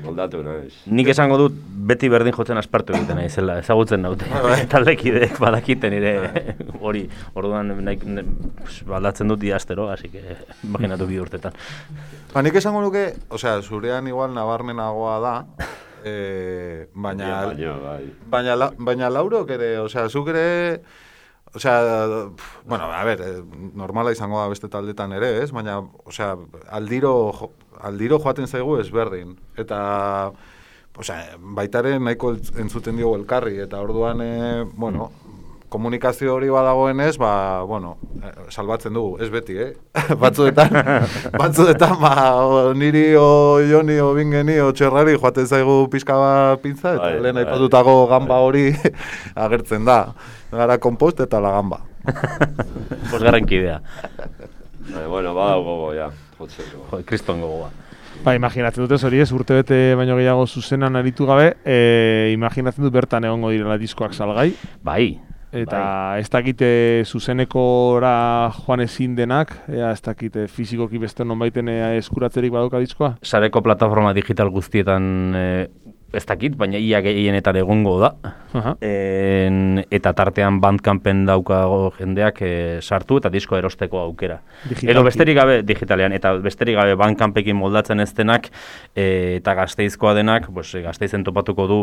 Moldatu naiz. Nik esango dut beti berdin jotzen aspartu egiten naizela, ezagutzen naute. Taldekideek badakiten nire hori, orduan nahi, ne, baldatzen dut diastero, así que imaginatu bi urtetan. Ba, nik esango nuke, osea, zurean igual nabarmenagoa da, eh, baina, baina, bai. baina, la, baina laurok ere, osea, zuk ere, osea, bueno, a ver, normala izango da beste taldetan ere, ez? Baina, osea, aldiro, aldiro joaten zaigu ezberdin. Eta, osea, baitaren nahiko entzuten diogu elkarri, eta orduan, e, bueno, komunikazio hori badagoenez, ba, bueno, salbatzen dugu, ez beti, eh? batzuetan, batzuetan, ba, o, niri o Joni o Bingeni o Txerrari joaten zaigu pixka bat pintza, eta lehen aipatutako gamba hori agertzen da. Gara kompost eta la gamba. Bosgarren kidea. Eh, bueno, bada gogo, ja. Jotzeko. Jo, kriston gogoa. Ba, imaginatzen dute hori ez, urte bete baino gehiago zuzenan aritu gabe, e, imaginatzen dut bertan egongo direla diskoak salgai. Bai. Eta bai. Ez dakite zuzenekora joan ezin denak, ea ez dakite fizikoki beste nonbaiten eskuratzerik baduka diskoa? Sareko plataforma digital guztietan e, ez dakit, baina ia gehienetan egongo da. Uh-huh. En, eta tartean Bandcampen daukago jendeak e, sartu eta disko erosteko aukera. Digitalki. Edo besterik gabe digitalean, eta besterik gabe Bandcampekin moldatzen ez denak e, eta Gasteizkoa denak, pues, Gasteizen topatuko du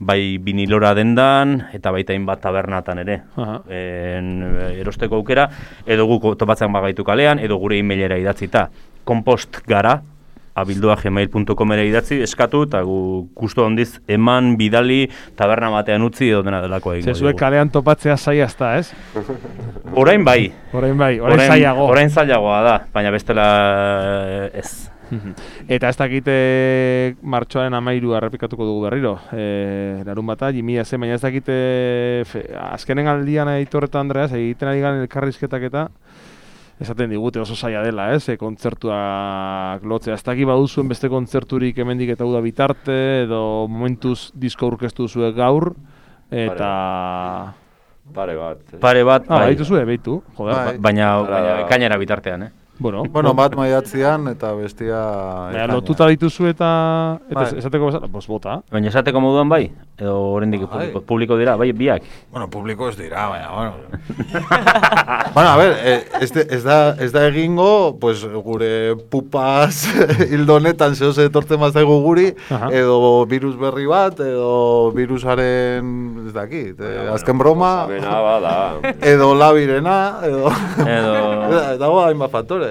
bai vinilora dendan eta baita hainbat tabernatan ere. Uh-huh. En, erosteko aukera, edo guk topatzen bagaitu kalean, edo gure emailera idatzita. Kompost gara, abildua gmail punto com ere idatzi, eskatu, eta gu gustu handiz eman, bidali, taberna batean utzi edo dena delako egingo. Zezuek kalean topatzea zaila ezta, ez? Orain bai. Orain bai, orain zailago. Orain zailagoa da, baina bestela ez. Eta ez dakite martxoaren amairu errepikatuko dugu berriro. E, larun bata, jimia zen, baina ez dakite fe, azkenen aldian Aitorreta Andreas, egiten ari garen elkarrizketak eta esaten digute oso zaila dela, ez? E, kontzertuak lotzea. Ez dakit baduzuen beste kontzerturik hemendik eta uda bitarte, edo momentuz disko aurkeztu duzue gaur, eta... Pare bat. Eh? Pare bat, ah, bai. Baitu zuen, baitu. Joder, bai. Baina, baina kainera bitartean, eh? Bueno, bueno, bat maiatzean eta bestia... Baina, lotuta dituzu eta, eta bai. Esateko bezala, pues bota. Baina esateko moduan bai? Edo oraindik publiko, publiko dira, bai, biak? Bueno, publiko ez dira, baina, bueno. Bueno, a ver, ez, de, ez, da, ez da egingo, pues, gure pupaz hildonetan zehose etortzen mazaigu guri, aha, edo virus berri bat, edo virusaren, ez dakit, eh, azken broma, edo labirena, edo... edo... dago hainbat faktore.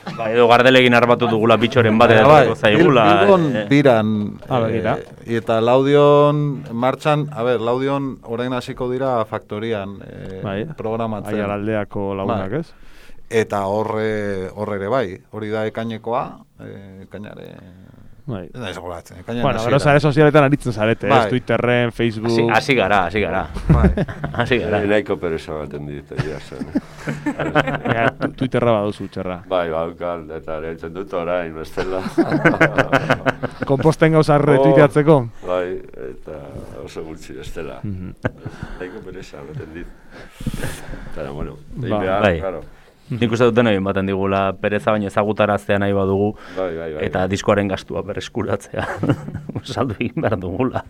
Ba, edo gardelegin arbatu dugula bitxoren bat edo zaigula. Bilbon eh, biran, eh, eh, eta Laudion martxan, a ber, Laudion orain hasiko dira faktorian eh, bai, programatzen. Aialaldeako lagunak, ez? eta horre, horre ere bai, hori da ekainekoa, eh, ekainare... Bai. Ez da izagolatzen, bueno, gero zare sozialetan aritzen zarete, bai. Ez Twitterren, Facebook... Hasi gara, hasi gara. Hasi gara. Naiko pereza baten dit, egia zen. Ja, Twitterra baduzu, txerra. Bai, baukal, eta ereitzen dut orain, bestela. Komposten gauza retuiteatzeko? Bai, eta oso gutxi bestela. Naiko pereza baten dit. Eta, bueno, bai. Claro. Nik uste duten egin baten digula, pereza baino ezagutaraztea nahi badugu, bai, bai, bai, eta diskoaren gastua berreskuratzea saldu egin behar dugula.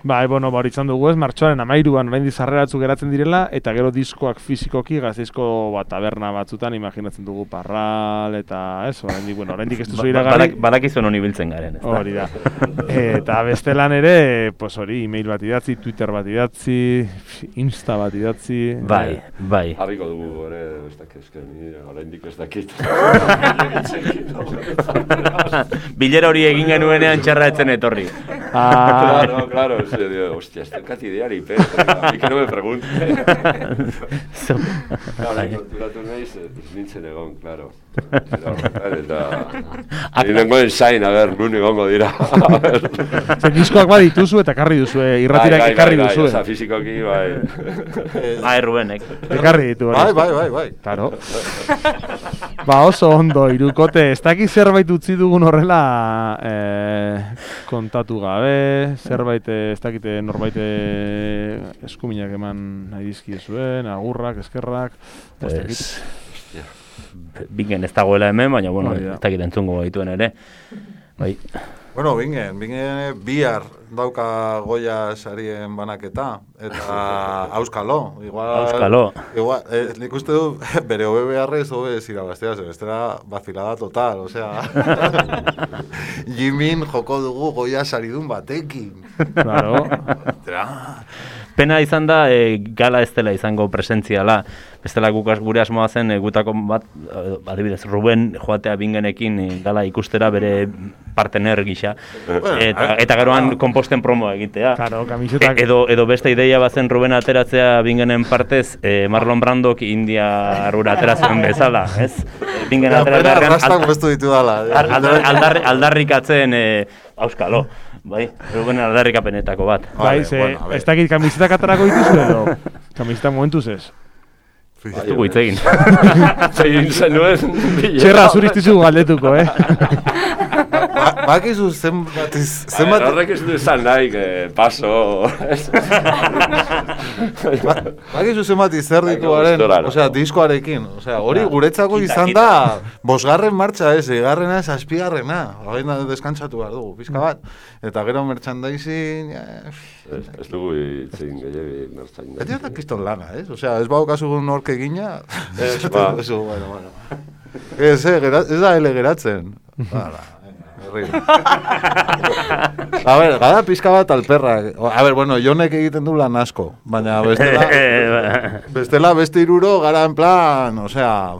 Bai, bueno, hori izan dugu ez, martxoaren amairuan orain dizarreratzu geratzen direla, eta gero diskoak fizikoki Gasteizko bat taberna batzutan imaginatzen dugu Parral, eta ez, orain di, bueno, orain dik ez duzu iragarri. Badakizuen honi biltzen garen, ez da? Hori da. Eta bestelan ere, pues hori, email bat idatzi, Twitter bat idatzi, Insta bat idatzi. Bai, bai. Harriko dugu, ere, ez dakizken, orain dik ez dakit. Bilera hori egin genuenean txarra etzen etorri. Ah, claro, claro. Se dio, hostia, estoy casi diario, pero a mí que no me pregunte. Claro, konturatu nahiz, nintzen egon, claro. Ni nengo ensain, a ver, nun egongo dira. Zer diskoak badituzu eta karri duzu, irratirak ekarri duzu. Osa, fizikoki, bai. Bai, Rubenek. Ekarri ditu. Bai, bai, bai, bai. Claro. Ba, oso ondo, irukote, ez dakit zerbait utzi dugun horrela kontatu gabe, zerbait ez dakite norbaite eskuminak eman nahi dizkiezuen, agurrak, eskerrak, ez dakit. Bingen ez dagoela hemen, baina, bueno, ez dakit entzungo gaituen ere. Bai. Bueno, bingen, bingen bihar dauka Goya sarien banaketa, eta auskalo. Igual, auskalo. Igual, eh, nik uste du, bere hobe beharrez hobe zirabaztea, bestela vacilada total, osea. Jimin joko dugu Goya saridun batekin. Claro. Pena izan da, e, gala ez dela izango presentziala. Bestela guk gure asmoa zen, e, gutako bat, adibidez, Ruben joatea bingenekin e, gala ikustera bere partener gisa. Eta, eta geroan komposten promoa egitea. Claro, kamisetak. E, edo, edo beste ideia bazen Ruben ateratzea bingenen partez, e, Marlon Brandok India arura ateratzen bezala, ez? Bingen ateratzen... Rastak bestu ditu dala. Aldarrikatzen, auskalo. Bai, Ruben aldarrikapenetako bat. Bai, ze, ez dakit kamisetak atarako dituzu edo? Kamisetak momentuz ez. Ez dugu hitz egin. Egin zenuen. Txerra, zuristizu galdetuko, eh? Bakizu zenbat... Horrek ez du izan nahi, paso... Bakizu zenbat izzer dituaren, osea, diskoarekin. Osea, hori guretzako izan da, bosgarren martxa ez, egarrena ez, azpigarrena. Hori da deskantzatu behar dugu, pizka bat. Eta gero merchandising... Ez dugu itzin gehiagin merchandising. Eta da kiston lana, ez? Osea, ez bau kasu nork egina... Ez, ba. Bueno, bueno. Ez, ez da ele geratzen. Hala. A ver, gara pizka bat alperra. A ver, bueno, Jonek egiten du lan asko, baina bestela, bestela beste iruro gara en plan, o sea,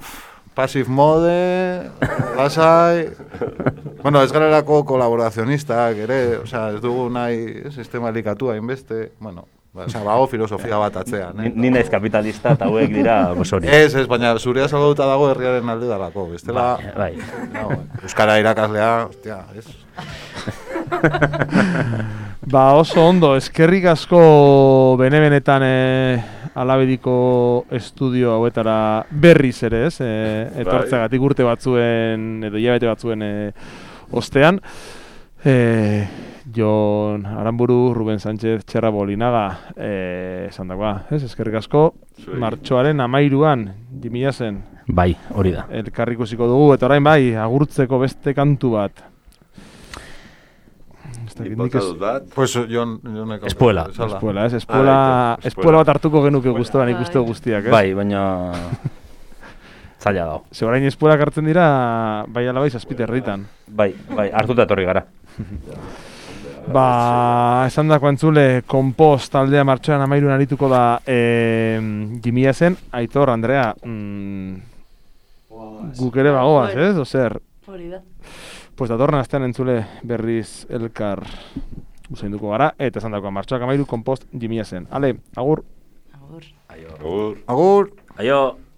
passive mode, lasai. Bueno, ez garelako kolaborazionistak ere, o sea, ez dugu nahi sistema likatua inbeste, bueno, Osa, bago filosofia bat atzean, eh? Ni naiz kapitalista eta hauek dira gozori. Ez, ez, baina zurea salauta dago herriaren alde dalako, bestela... Bai, bai. Euskara irakaslea, ostia, ez? Ba, oso ondo, eskerrik asko bene-benetan eh, alabediko estudio hauetara berriz ere, ez? Eh, etortzeagatik urte batzuen, edo hilabete batzuen eh, ostean. Eh, Jon Aramburu, Ruben Sánchez, Txerra Bolinaga, eh, esan dagoa, ez? Eskerrik asko, martxoaren amairuan, jimila zen. Bai, hori da. Elkarrikusiko dugu, eta orain bai, agurtzeko beste kantu bat. Inpotadut bat? Pues Jon... Espuela. Espuela, ez? Espuela, espuela bat hartuko genuke guztuan ikuste guztiak, ez? Bai, baina... zaila dago. Ze orain espuelak hartzen dira, bai ala bai, zazpite herritan. Bai, bai, hartuta etorri gara. Ba, esan dako entzule, Kompost taldea martxoan amairun arituko da e, jimila zen, Aitor, Andrea, mm, guk ere bagoaz, ez? Ozer? Hori da. Pues datorren astean entzule berriz elkar usainduko gara, eta esan dako martxoak amairu Kompost jimila zen. Ale, agur! Agur. Agur. Agur! Aio!